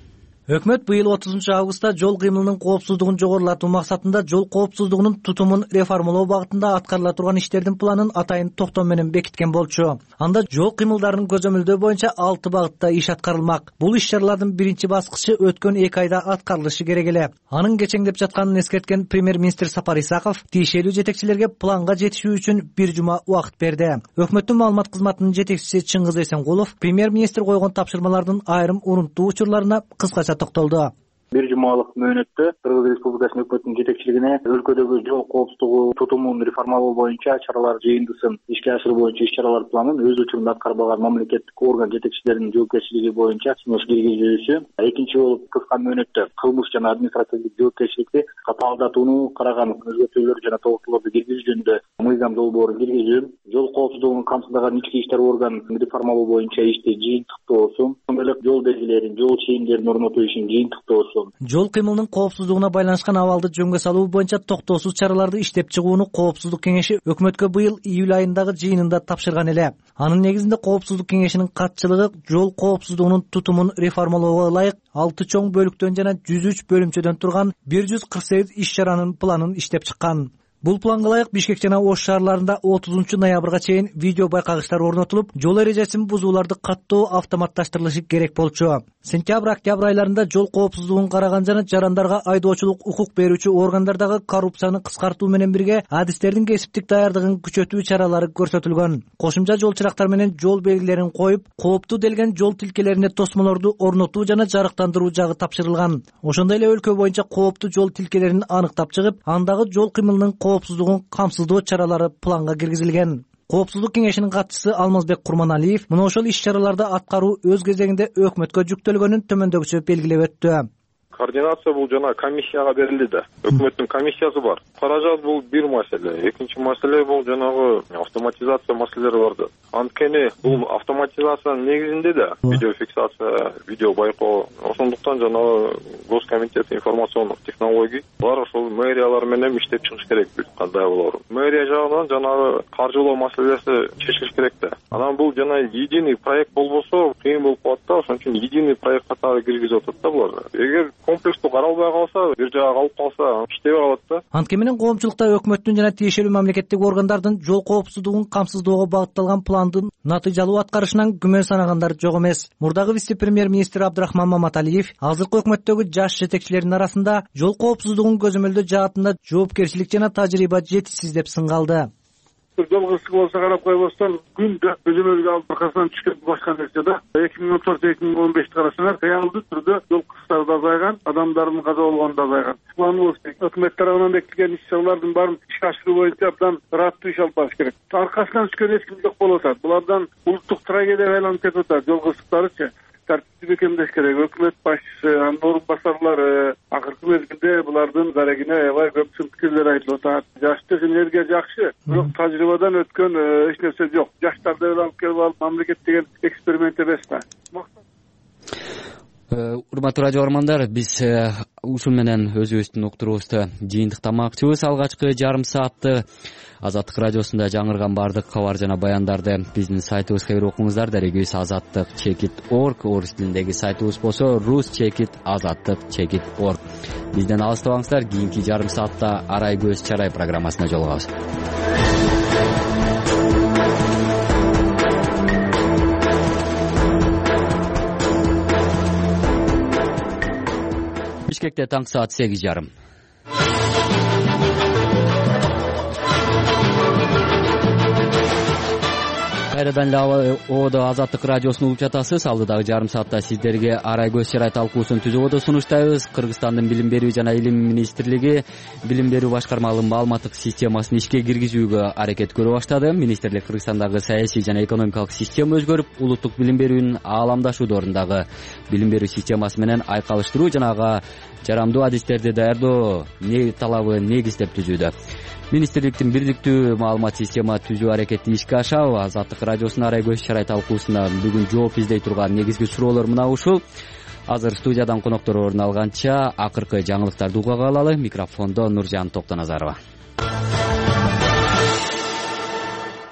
Өкмөт быйыл 30 августта жол кыймылынын коопсуздугун жогорулатуу максатында жол коопсуздугунун тутумун реформалоо багытында аткарыла турган иштердин планын атайын токтом менен бекиткен болчу. Анда жол кыймылдарынын көзөмөлдөө боюнча 6 багытта иш аткарылмак. Бул иш-чаралардын биринчи баскычы өткөн 2 айда аткарылышы керек эле. Анын кечеңдеп жатканын эскерткен премьер-министр Сапар Исаков тиешелүү жетекчилерге планга жетишүү үчүн 1 жума убакыт берди. Өкмөттүн маалымат кызматынын жетекчиси Чыңгыз Эсенгулов премьер-министр койгон тапшырмалардын айрым урунттуу учурларына кыскача токтолду. 1 жумалык мөөнөттө Кыргыз Республикасынын өкмөтүнүн жетекчилигине өлкөдөгү жол коопсуздугу тутумун реформалоо боюнча чаралар жыйындысын ишке ашыруу боюнча иш-чаралар планын өз учурунда аткарбаган мамлекеттик орган жетекчилеринин жоопкерчилиги боюнча кеңеш киргизүүсү. Экинчи болуп кыска мөөнөттө кылмыш жана административдик жоопкерчиликти катаалдатууну караган өзгөртүүлөр жана толуктоолорду киргизүү жөнүндө мыйзам долбоорун киргизүү, жол коопсуздугун камсыздаган ички иштер органын реформалоо боюнча ишти жыйынтыктоосу, ошондой эле жол белгилерин, жол чейимдерин орнотуу ишин жыйынтыктоосу. Жол кыймылынын коопсуздугуна байланышкан абалды жөнгө салуу боюнча токтоосуз чараларды иштеп чыгууну коопсуздук кеңеши өкмөткө быйыл июль айындагы жыйынында тапшырган эле. Анын негизинде коопсуздук кеңешинин катчылыгы жол коопсуздугунун тутумун реформалоого ылайык 6 чоң бөлүктөн жана 103 бөлүмчөдөн турган 148 иш-чаранын планын иштеп чыккан. Бул планга ылайык Бишкек жана Ош шаарларында 30 ноябрга чейин видео байкагычтар орнотулуп, жол эрежесин бузууларды каттоо автоматташтырылышы керек болчу. Сентябрь-октябрь айларында жол коопсуздугун караган жана жарандарга айдоочулук укук берүүчү органдардагы коррупцияны кыскартуу менен бирге адистердин кесиптик даярдыгын күчөтүү чаралары көрсөтүлгөн. Кошумча жол чырактар менен жол белгилерин коюп, кооптуу делген жол тилкелерине тосмолорду орнотуу жана жарыктандыруу жагы тапшырылган. Ошондой эле өлкө боюнча кооптуу жол тилкелерин аныктап чыгып, андагы жол кыймылынын коопсуздугун камсыздоо чаралары планга киргизилген. Коопсуздук кеңешинин катчысы Алмазбек Курманалиев мына ошол иш-чараларды аткаруу өз кезегинде өкмөткө жүктөлгөнүн төмөндөгүчө белгилеп өттү. Координация бул жана комиссияга берилди да. Өкмөттүн комиссиясы бар. Каражат бул бир маселе. Экинчи маселе бул жанагы автоматизация маселелери бар да. Анткени бул автоматизациянын негизинде да видеофиксация, видео байкоо. Ошондуктан жанагы Госкомитет информациондук технологий бар ошол мэриялар менен иштеп чыгыш керек кандай болорун. Мэрия жагынан жанагы каржылоо маселеси чечилиш керек да. Анан бул жана единый проект болбосо кыйын болуп калат да. Ошон үчүн единый проект катары киргизип атат да булар. Эгер комплекстүү каралбай калса, бир жага калып калса, иштебей калат да. Анткени менен коомчулукта өкмөттүн жана тиешелүү мамлекеттик органдардын жол коопсуздугун камсыздоого багытталган пландын натыйжалуу аткарышынан күмөн санагандар жок эмес. Мурдагы вице-премьер-министр Абдрахман Маматалиев азыркы өкмөттөгү жаш жетекчилердин арасында жол коопсуздугун көзөмөлдөө жаатында жоопкерчилик жана тажрыйба жетишсиз деп сыңгалды. Жол кырсыгы болсо карап койбостон күндө көзөмөлгө алып аркасынан түшкөн башка нерсе да. 2014-2015 карасаңар реалдуу түрдө жол кырсыктары да азайган, адамдардын каза болгону да азайган. Планыбыз өкмөт тарабынан бекитилген иш-чаралардын баарын ишке ашыруу боюнча абдан ыраттуу иш алып барыш керек. Аркасынан түшкөн эч ким жок болуп атат. Булардан улуттук трагедияга айланып кетип атат жол кырсыктарычы. тартипти бекемдеш керек. Өкмөт башчысы, анын орун басарлары акыркы мезгилде булардын дарегине аябай көп сын пикирлер айтылып атат. Жаштык энергия жакшы, бирок тажрыйбадан өткөн эч нерсе жок. Жаштарды алып келип алып мамлекет деген эксперимент эмес да. Урматтуу радио көрөрмандар, биз ушул менен өзүбүздүн уктуруубузду жыйынтыктамакчыбыз. Алгачкы жарым саатты Азаттык радиосунда жаңырган бардык кабар жана баяндарды биздин сайтыбызга кирип окуңуздар. Дарегибиз azattik.org, орус тилиндеги сайтыбыз болсо rus.azattik.org. Бизден алыстабаңыздар. Кийинки жарым саатта Арай көз чарай программасына жолугабыз. Бишкекте таң саат 8:30. Кайрадан эле ободо Азаттык радиосун угуп жатасыз. Алдыдагы жарым саатта сиздерге Арай көз чарай талкуусун түзүүбөдө сунуштайбыз. Кыргызстандын Билим берүү жана Илим министрлиги Билим берүү башкармалыгынын маалыматтык системасын ишке киргизүүгө аракет көрө баштады. Министрлик Кыргызстандагы саясий жана экономикалык система өзгөрүп, улуттук билим берүүнүн ааламдашуудорындагы билим берүү системасы менен айкалыштыруу жана ага жарамдуу адистерди даярдоо талабы негиздеп түзүүдө. Министрликтин бирдиктүү маалымат система түзүү аракети ишке ашабы? Азаттык радиосунун Арай көз чарай талкуусуна бүгүн жооп издей турган негизги суроолор мына ушул. Азыр студиядан коноктор орун алганча акыркы жаңылыктарды угууга алалы. Микрофондо Нуржан Токтоназарова.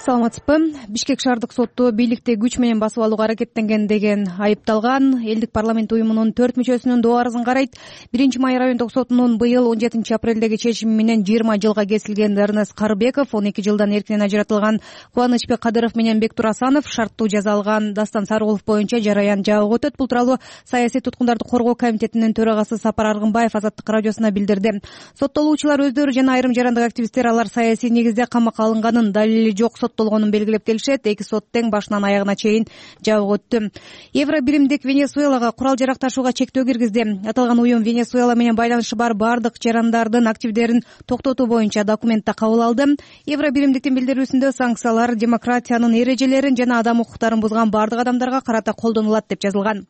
Саламатсызбы? Бишкек шаардык соту бийликти күч менен басып алууга аракеттенген деген айыпталган элдик парламент уюмунун 4 мүчөсүнүн доо арызын карайт. 1-май райондук сотунун быйыл 17-апрелдеги чечими менен 20 жылга кесилген Эрнест Карыбеков, 12 жылдан эркинен ажыратылган Кубанычбек Кадыров менен Бектур Асанов, шарттуу жаза алган Дастан Сарыгулов боюнча жараян жабык өтөт. Бул тууралуу саясий туткундарды коргоо комитетинин төрагасы Сапар Аргынбаев Азаттык радиосуна билдирди. Соттолуучулар өздөрү жана айрым жарандык активисттер алар саясий негизде камакка алынганын, далили жок соттолгонун белгилеп келишет. Эки сот тең башынан аягына чейин жабык өттү. Евро биримдик Венесуэлага курал жарак ташууга чектөө киргизди. Аталган уюм Венесуэла менен байланышы бар бардык жарандардын активдерин токтотуу боюнча документти кабыл алды. Евро биримдиктин билдирүүсүндө санкциялар демократиянын эрежелерин жана адам укуктарын бузган бардык адамдарга карата колдонулат деп жазылган.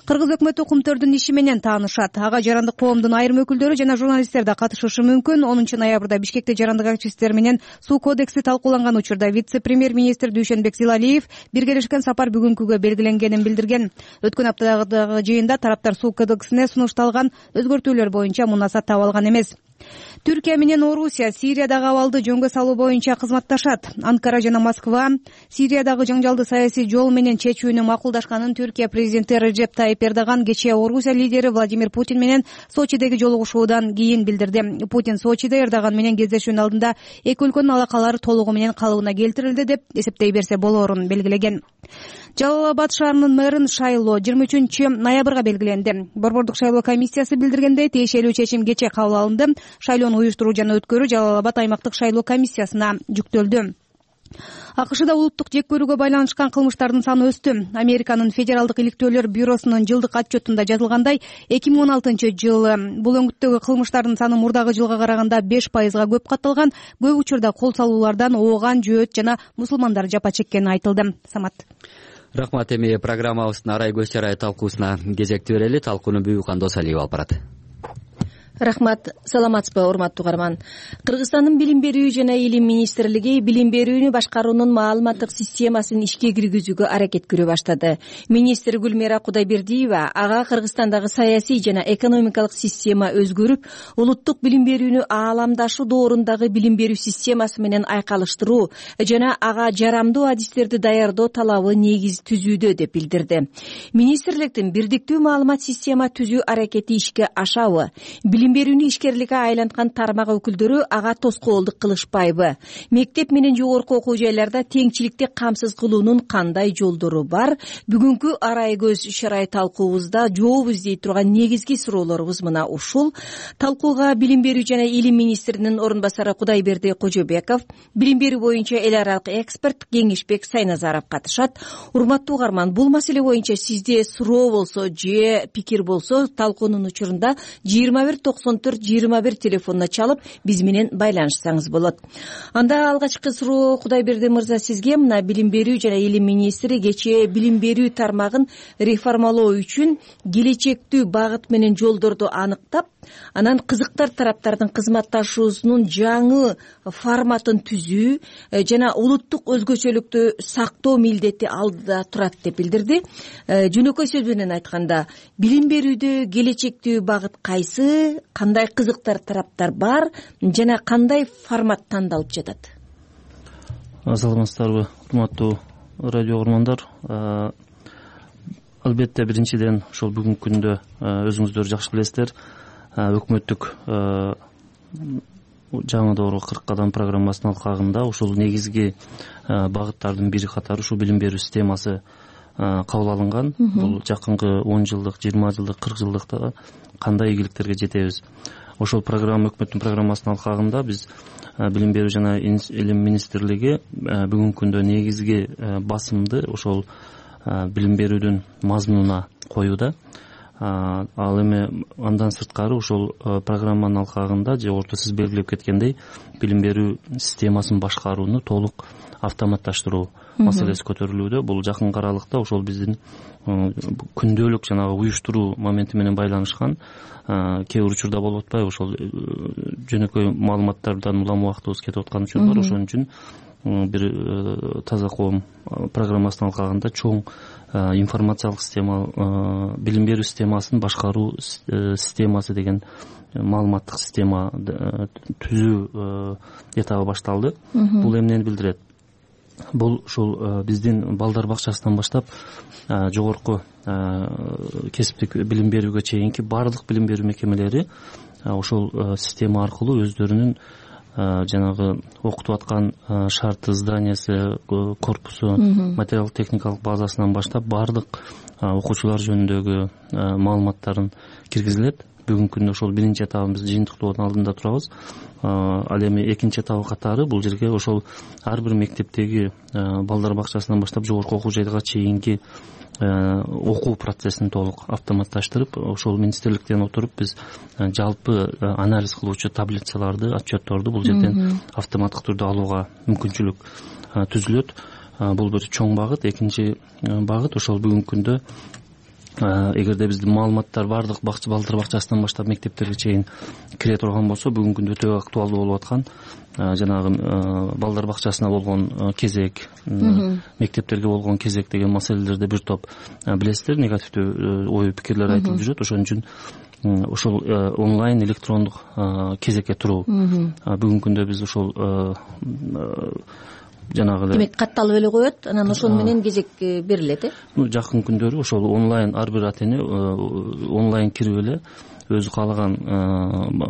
Кыргыз өкмөтү кумтөрдүн иши менен таанышат. Ага жарандык коомдун айрым өкүлдөрү жана журналисттер да катышышы мүмкүн. 10 ноябрда Бишкекте жарандык активисттер менен суу кодекси талкууланган учурда вице-премьер-министр Дүйшөнбек Зилалиев биргелешкен сапар бүгүнкүгө белгиленгенин билдирген. Өткөн аптадагы жыйында тараптар суу кодексине сунушталган өзгөртүүлөр боюнча мунасат таба алган эмес. Түркия менен Орусия Сириядагы абалды жөнгө салуу боюнча кызматташат. Анкара жана Москва Сириядагы жаңжалды саясий жол менен чечүүнү макулдашканын Түркия президенти Реджеп Тайип Эрдоган кечээ Орусия лидери Владимир Путин менен Сочидеги жолугушуудан кийин билдирди. Путин Сочиде Эрдоган менен кездешүүнүн алдында эки өлкөнүн алакалары толугу менен калыбына келтирилди деп эсептей берсе болоорун белгилеген. Жалал-Абад шаарынын мэрин шайлоо 23 ноябрга белгиленди. Борбордук шайлоо комиссиясы билдиргендей, тиешелүү чечим кечээ кабыл алынды. Шайлоону уюштуруу жана өткөрүү Жалал-Абад аймактык шайлоо комиссиясына жүктөлдү. АКШда улуттук жек көрүүгө байланышкан кылмыштардын саны өстү. Американын Федералдык иликтөөлөр бюросунун жылдык отчетунда жазылгандай, 2016-жылы бул өңүттөгү кылмыштардын саны мурдагы жылга караганда 5%га көп катталган. Көп учурда кол салуулардан ооган, жөөт жана мусулмандар жапа чеккени айтылды. Самат. Рахмат. Эми программабыздын Арай көз чарай талкуусуна кезекти берели. Талкууну Бүбүкан Досалиев алып барат. Рахмат. Саламатсызбы, урматтуу угарман. Кыргызстандын Билим берүү жана Илим министрлиги билим берүүнү башкаруунун маалыматтык системасын ишке киргизүүгө аракет көрө баштады. Министр Гүлмира Кудайбердиева ага Кыргызстандагы саясий жана экономикалык система өзгөрүп, улуттук билим берүүнү ааламдашуу доорундагы билим берүү системасы менен айкалыштыруу жана ага жарамдуу адистерди даярдоо талабы негиз түзүүдө деп билдирди. Министрликтин бирдиктүү маалымат система түзүү аракети ишке ашабы? Билим берүүнү ишкерликке айланткан тармак өкүлдөрү ага тоскоолдук кылышпайбы? Мектеп менен жогорку окуу жайларда теңчиликти камсыз кылуунун кандай жолдору бар? Бүгүнкү Арай көз чарай талкуубузда жооп издей турган негизги суроолорубуз мына ушул. Талкууга Билим берүү жана Илим министринин орун басары Кудайберди Кожобеков, билим берүү боюнча эл аралык эксперт Кеңешбек Сайназаров катышат. Урматтуу угарман, бул маселе боюнча сизде суроо болсо же пикир болсо, талкуунун учурунда 21 %90-94-21 телефонуна чалып биз менен байланышсаңыз болот. Анда алгачкы суроо Кудайберди мырза сизге. Мына билим берүү жана илим министри кечээ билим берүү тармагын реформалоо үчүн келечектүү багыт менен жолдорду аныктап, анан кызыктар тараптардын кызматташуусунун жаңы форматын түзүү жана улуттук өзгөчөлүктү сактоо милдети алдыда турат деп билдирди. Жөнөкөй сөз менен айтканда, билим берүүдө келечектүү багыт кайсы, кандай кызыктар тараптар бар жана кандай формат тандалып жатат? Саламатсыздарбы, урматтуу радио угармандар. Албетте биринчиден ошол бүгүнкү күндө өзүңүздөр жакшы билесиздер, өкмөттүк жаңы доорго 40 кадам программасынын алкагында ушул негизги багыттардын бири катары ушул билим берүү системасы кабыл алынган. Бул жакынкы 10 жылдык, 20 жылдык, 40 жылдыкта кандай ийгиликтерге жетебиз. Ошол программа, өкмөттүн программасынын алкагында биз билим берүү жана илим министрлиги бүгүнкү күндө негизги басымды ошол билим берүүдүн мазмунуна коюуда. Ал эми андан сырткары ошол программанын алкагында жогоруда сиз белгилеп кеткендей билим берүү системасын башкарууну толук автоматташтыруу маселеси көтөрүлүүдө. Бул жакынкы аралыкта ошол биздин күндөлүк жанагы уюштуруу моменти менен байланышкан. Кээ бир учурда болуп атпайбы, ошол жөнөкөй маалыматтардан улам убактыбыз кетип аткан учур бар. Ошон үчүн бир таза коом программасынын алкагында чоң информациялык система, билим берүү системасын башкаруу системасы деген маалыматтык система түзүү этабы башталды. Бул эмнени билдирет? Бул ушул биздин балдар бакчасынан баштап жогорку кесиптик билим берүүгө чейинки баардык билим берүү мекемелери ошол система аркылуу өздөрүнүн жанагы окутуп аткан шарты, зданиясы, корпусу, материалдык техникалык базасынан баштап баардык окуучулар жөнүндөгү маалыматтарын киргизилет. Бүгүнкү күндө ошол биринчи этабын биз жыйынтыктоонун алдында турабыз. Ал эми экинчи этабы катары бул жерге ошол ар бир мектептеги балдар бакчасынан баштап жогорку окуу жайга чейинки окуу процессин толук автоматташтырып, ошол министрликтен отуруп биз жалпы анализ кылуучу таблицаларды, отчетторду бул жерден автоматтык түрдө алууга мүмкүнчүлүк түзүлөт. Бул бир чоң багыт. Экинчи багыт ошол бүгүнкү күндө эгерде биздин маалыматтар баардык балдар бакчасынан баштап мектептерге чейин кире турган болсо, бүгүнкү күндө өтө актуалдуу болуп аткан жанагы балдар бакчасына болгон кезек, мектептерге болгон кезек деген маселелерди бир топ билесиздер, негативдүү ой пикирлер айтылып жүрөт. Ошон үчүн ошол онлайн электрондук кезекке туруу бүгүнкү күндө биз ошол жанагы демек катталып эле коет, анан ошону менен кезек берилет. Жакын күндөрү ошол онлайн ар бир ата эне онлайн кирип эле өзү каалаган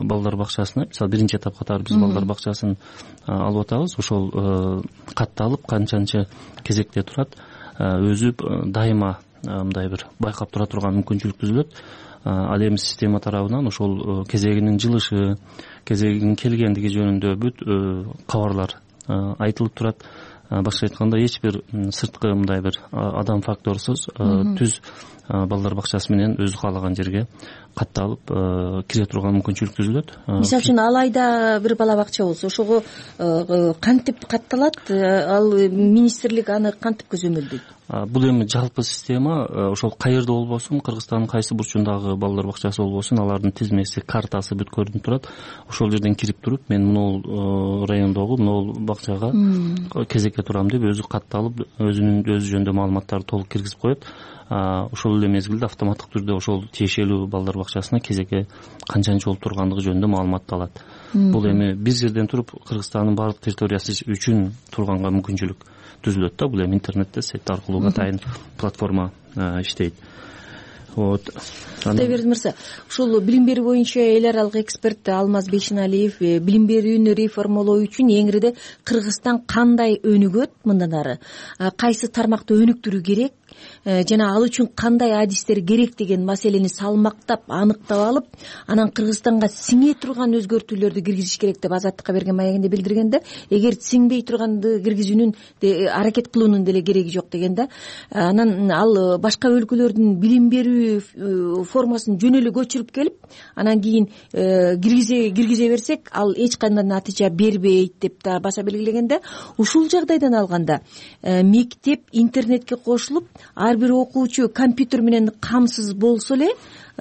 балдар бакчасына, мисалы биринчи этап катары биз балдар бакчасын алып атабыз. Ошол катталып канчанчы кезекте турат, өзү дайыма мындай бир байкап тура турган мүмкүнчүлүк түзүлөт. Ал эми система тарабынан ошол кезегинин жылышы, кезегинин келгендиги жөнүндө бүт кабарлар айтылып турат. Башка айтканда эч бир сырткы мындай бир адам факторсуз түз балдар бакчасы менен өзү каалаган жерге катталып кире турган мүмкүнчүлүк түзүлөт. Мисалы үчүн ал айда бир бала бакча болсо, ошого кантип катталат? Ал министрлик аны кантип көзөмөлдөйт? Бул эми жалпы система, ошол каерде болбосун, Кыргызстандын кайсы бурчундагы балдар бакчасы болбосун, алардын тизмеси, картасы бүт көрүнүп турат. Ошол жерден кирип туруп, мен могул райондогу могул бакчага кезекке турам деп өзү катталып, өзүнүн жөнүндө маалыматтарды толук киргизип коет. Ошол эле мезгилде автоматтык түрдө ошол тиешелүү балдар бакчасына кезекке канчанчы болуп тургандыгы жөнүндө маалыматты алат. Бул эми бир жерден туруп Кыргызстандын баардык территориясы үчүн турганга мүмкүнчүлүк түзүлөт да. Бул эми интернетте сайт аркылуу атайын платформа иштейт. Кудайберди мырза, ушул билим берүү боюнча эл аралык эксперт Алмаз Бейшеналиев билим берүүнү реформалоо үчүн эңириде Кыргызстан кандай өнүгөт мындан ары, кайсы тармакты өнүктүрүү керек, жана ал үчүн кандай адистер керек деген маселени салмактап аныктап алып, анан Кыргызстанга сиңе турган өзгөртүүлөрдү киргизиш керек деп Азаттыкка берген маегинде билдирген да. Эгер сиңбей турганды киргизүүнүн аракет кылуунун деле кереги жок деген да. Анан ал башка өлкөлөрдүн билим берүү формасын жөн эле көчүрүп келип, анан кийин киргизе берсек, ал эч кандай натыйжа бербейт деп да баса белгилеген да. Ушул жагдайдан алганда мектеп интернетке кошулуп, ар бир окуучу компьютер менен камсыз болсо эле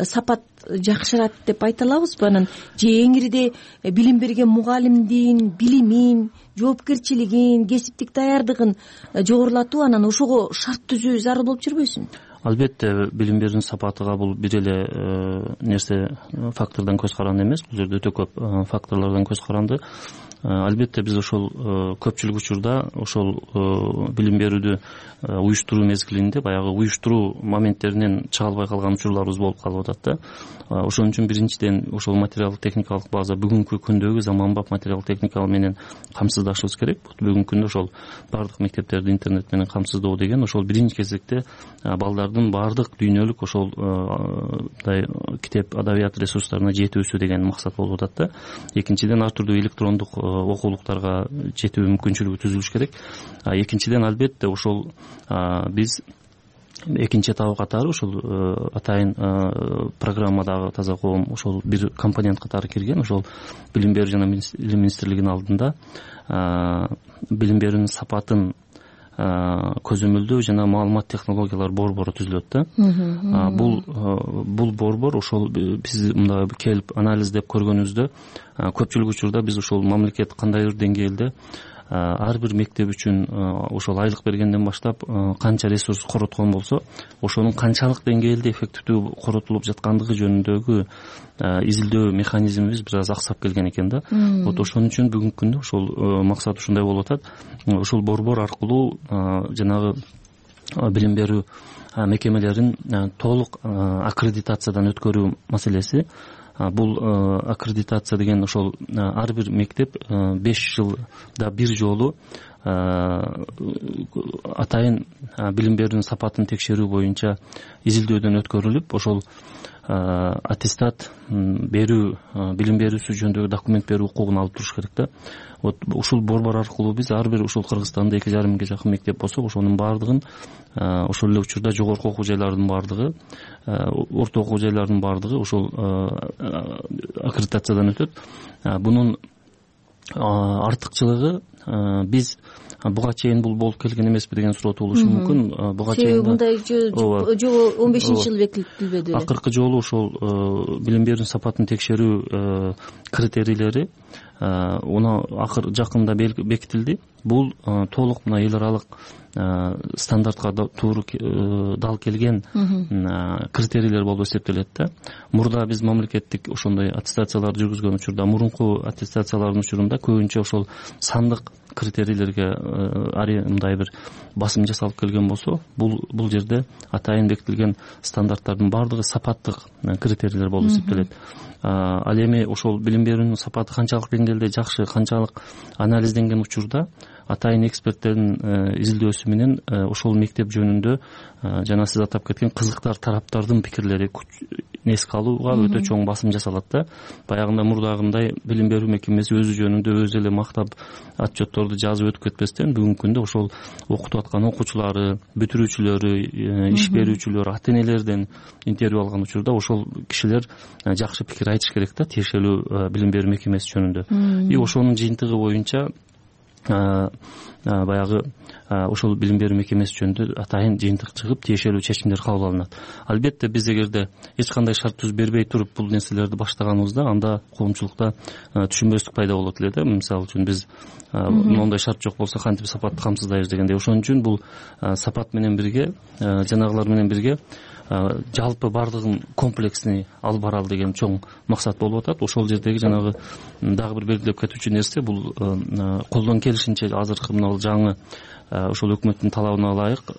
сапат жакшырат деп айта алабызбы? Анан же эңириде билим берген мугалимдин билимин, жоопкерчилигин, кесиптик даярдыгын жогорулатуу, анан ошого шарт түзүү зарыл болуп жүрбөйсүнбү? Албетте, билим берүүнүн сапатыга бул бир эле нерсе, фактордон көз каранды эмес. Бул жерде өтө көп факторлордон көз каранды. Албетте биз ошол көпчүлүк учурда ошол билим берүүдү уюштуруу мезгилинде баягы уюштуруу моменттеринен чыга албай калган учурларыбыз болуп калып атат да. Ошон үчүн биринчиден ошол материалдык техникалык база бүгүнкү күндөгү заманбап материалдык техника менен камсыздашыбыз керек. Бүгүнкү күндө ошол баардык мектептерди интернет менен камсыздоо деген ошол биринчи кезекте балдардын баардык дүйнөлүк ошол китеп, адабият ресурстарына жетүүсү деген максат болуп атат да. Экинчиден ар түрдүү электрондук окуулуктарга жетүү мүмкүнчүлүгү түзүлүш керек. Экинчиден албетте ошол биз экинчи этабы катары ошол атайын программадагы таза коом ошол бир компонент катары кирген. Ошол билим берүү жана илим министрлигинин алдында билим берүүнүн сапатын көзөмөлдөө жана маалымат технологиялар борбору түзүлөт да. Бул борбор ошол биз мындай келип анализдеп көргөнүбүздө көпчүлүк учурда биз ошол мамлекет кандайдыр деңгээлде ар бир мектеп үчүн ошол айлык бергенден баштап канча ресурс короткон болсо, ошонун канчалык деңгээлде эффективдүү коротулуп жаткандыгы жөнүндөгү изилдөө механизмибиз бир аз аксап келген экен да. Вот ошон үчүн бүгүнкү күндө ошол максат ушундай болуп атат. Ушул борбор аркылуу жанагы билим берүү мекемелерин толук аккредитациядан өткөрүү маселеси. Бул аккредитация деген ошол ар бир мектеп 5 жылда бир жолу атайын билим берүүнүн сапатын текшерүү боюнча изилдөөдөн өткөрүлүп, ошол аттестат берүү, билим берүүсү жөнүндөгү документ берүү укугун алып туруш керек да. Вот ушул борбор аркылуу биз ар бир ушул Кыргызстанда 2,5 миңге жакын мектеп болсо, ошонун баардыгын ошол эле учурда жогорку окуу жайлардын баардыгы, орто окуу жайлардын баардыгы ошол аккредитациядан өтөт. Бунун артыкчылыгы биз буга чейин бул болуп келген эмеспи деген суроо туулушу мүмкүн. Буга чейин мындай жолу 15-жылы бекитилбеди. Акыркы жолу ошол билим берүүнүн сапатын текшерүү критерийлери акыр жакында бекитилди. Бул толук мына эл аралык стандартка туура дал келген критерийлер болуп эсептелет да. Мурда биз мамлекеттик ошондой аттестацияларды жүргүзгөн учурда, мурунку аттестациялардын учурунда көбүнчө ошол сандык критерийлерге мындай бир басым жасалып келген болсо, бул жерде атайын бекитилген стандарттардын баардыгы сапаттык критерийлер болуп эсептелет. Ал эми ошол билим берүүнүн сапаты канчалык деңгээлде жакшы, канчалык анализденген учурда атайын эксперттердин изилдөөсү менен ошол мектеп жөнүндө жана сиз атап кеткен кызыктар тараптардын пикирлери эске алууга өтө чоң басым жасалат да. Баягында мурдагындай билим берүү мекемеси өзү жөнүндө өзү эле мактап отчетторду жазып өтүп кетпестен, бүгүнкү күндө ошол окутуп аткан окуучулары, бүтүрүүчүлөрү, иш берүүчүлөр, ата энелерден интервью алган учурда ошол кишилер жакшы пикир айтыш керек да тиешелүү билим берүү мекемеси жөнүндө. И ошонун жыйынтыгы боюнча баягы ошол билим берүү мекемеси жөнүндө атайын жыйынтык чыгып, тиешелүү чечимдер кабыл алынат. Албетте биз эгерде эч кандай шарт түзүп бербей туруп бул нерселерди баштаганыбызда, анда коомчулукта түшүнбөстүк пайда болот эле да. Мисалы үчүн биз моундай шарт жок болсо кантип сапатты камсыздайбыз дегендей. Ошон үчүн бул сапат менен бирге, жанагылар менен бирге жалпы баардыгын комплексный алып баралы деген чоң максат болуп атат. Ошол жердеги жанагы дагы бир белгилеп кетүүчү нерсе бул колдон келишинче азыркы мына жаңы ошол өкмөттүн талабына ылайык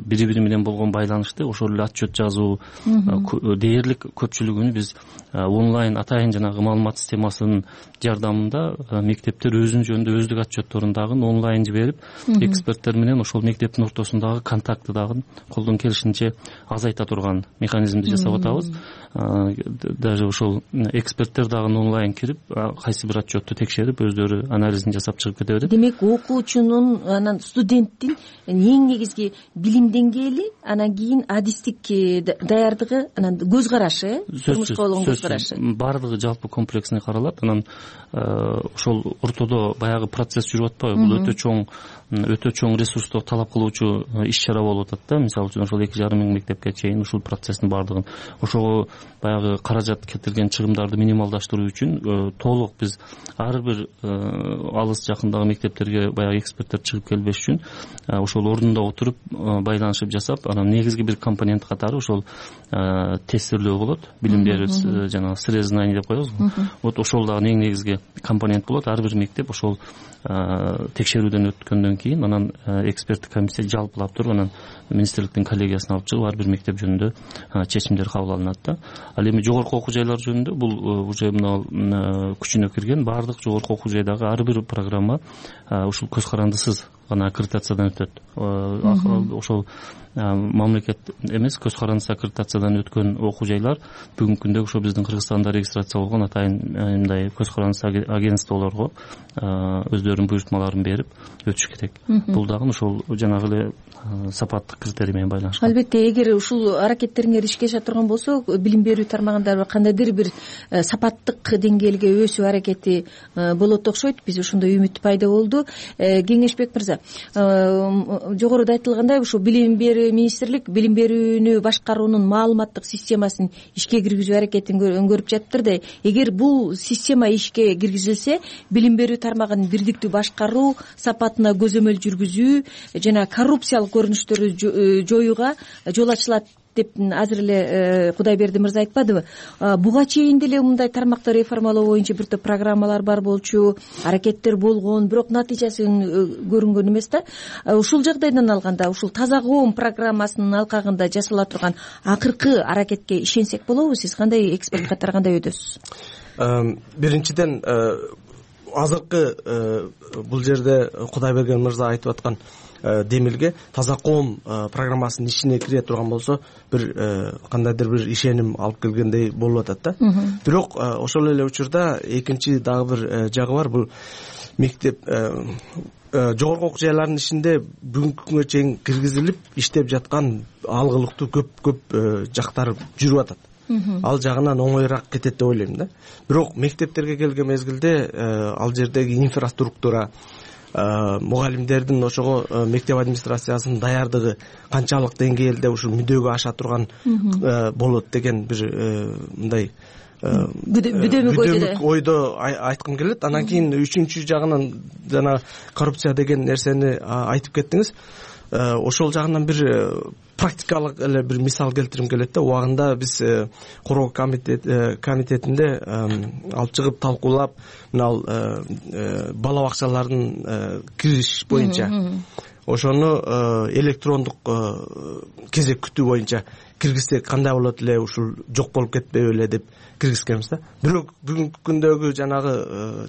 бири бири менен болгон байланышты ошол эле отчет жазуу дээрлик көпчүлүгүн биз онлайн атайын жанагы маалымат системасынын жардамында мектептер өзүнүн жөнүндө өздүк отчетторун дагы онлайн жиберип эксперттер менен ошол мектептин ортосундагы контактты дагы колдон келишинче азайта турган механизмди жасап атабыз. Даже ошол эксперттер дагы онлайн кирип кайсы бир отчетту текшерип өздөрү анализин жасап чыгып кете берет. Демек окуучунун анан студенттин эң негизги билим деңгээли, анан кийин адистик даярдыгы, анан көз карашы, турмушка болгон көз карашы баардыгы жалпы комплексный каралат. Анан ошол ортодо баягы процесс жүрүп атпайбы? Бул өтө чоң ресурсту талап кылуучу иш чара болуп атат да. Мисалы үчүн ошол 2,5 миң мектепке чейин ушул процесстин баардыгын ошого баягы каражат кетирген чыгымдарды минималдаштыруу үчүн толук биз ар бир алыс жакындагы мектептерге баягы эксперттер чыгып келбеш үчүн ошол ордунда отуруп байланышып жасап, анан негизги бир компонент катары ошол тестирлөө болот. Билим берүү жанагы срезание деп коебузбу. Вот ошол дагы эң негизги компонент болот. Ар бир мектеп ошол текшерүүдөн өткөндөн кийин анан эксперттик комиссия жалпылап туруп анан министрликтин коллегиясына алып чыгып ар бир мектеп жөнүндө чечимдер кабыл алынат да. Ал эми жогорку окуу жайлар жөнүндө бул уже мына күчүнө кирген баардык жогорку окуу жайдагы ар бир программа ушул көз карандысыз гана аккредитациядан өтөт. Ошол мамлекет эмес, көз карандысыз аккредитациядан өткөн окуу жайлар бүгүнкү күндө ошо биздин Кыргызстанда регистрация болгон атайын мындай көз карандысыз агентстволорго өздөрүнүн буйртмаларын берип өтүш керек. Бул дагы ошол жанагы эле сапаттык критерий менен байланышкан. Албетте, эгер ушул аракеттериңер ишке аша турган болсо, билим берүү тармагында кандайдыр бир сапаттык деңгээлге өсүү аракети болот окшойт. Биз ошондой үмүт пайда болду. Кеңешбек мырза, жогоруда айтылгандай, ушул билим берүү министрлик билим берүүнү башкаруунун маалыматтык системасын ишке киргизүү аракетин көрүп жатыптыр да. Эгер бул система ишке киргизилсе, билим берүү тармагын бирдиктүү башкаруу, сапатына көзөмөл жүргүзүү жана коррупциялык көрүнүштөрдү жоюуга жол ачылат деп азыр эле Кудайберди мырза айтпадыбы? Буга чейин деле мындай тармакты реформалоо боюнча бир топ программалар бар болчу, аракеттер болгон, бирок натыйжасын көрүнгөн эмес да. Ушул жагдайдан алганда, ушул таза коом программасынын алкагында жасала турган акыркы аракетке ишенсек болобу? Сиз кандай эксперт катары кандай өйдөсүз? Биринчиден азыркы бул жерде Кудайберген мырза айтып аткан демилге таза коом программасынын ичине кире турган болсо бир кандайдыр бир ишеним алып келгендей болуп атат да. Бирок ошол эле учурда экинчи дагы бир жагы бар. Бул мектеп жогорку окуу жайларынын ичинде бүгүнкү күнгө чейин киргизилип иштеп жаткан алгылыктуу көп жактар жүрүп атат. Ал жагынан оңоюраак кетет деп ойлойм да. Бирок мектептерге келген мезгилде ал жердеги инфраструктура, мугалимдердин ошого мектеп администрациясынын даярдыгы канчалык деңгээлде ушул мүдөгө аша турган болот деген бир мындай бүдөмүк ойдо айткым келет. Анан кийин үчүнчү жагынан жана коррупция деген нерсени айтып кеттиңиз. Ошол жагынан бир практикалык эле бир мисал келтирим келет да. Убагында биз короо комитетинде алып чыгып талкуулап, мына бала бакчалардын кириш боюнча ошону электрондук кезек күтүү боюнча киргизсек кандай болот эле, ушул жок болуп кетпейби эле деп киргизгенбиз да. Бирок бүгүнкү күндөгү жанагы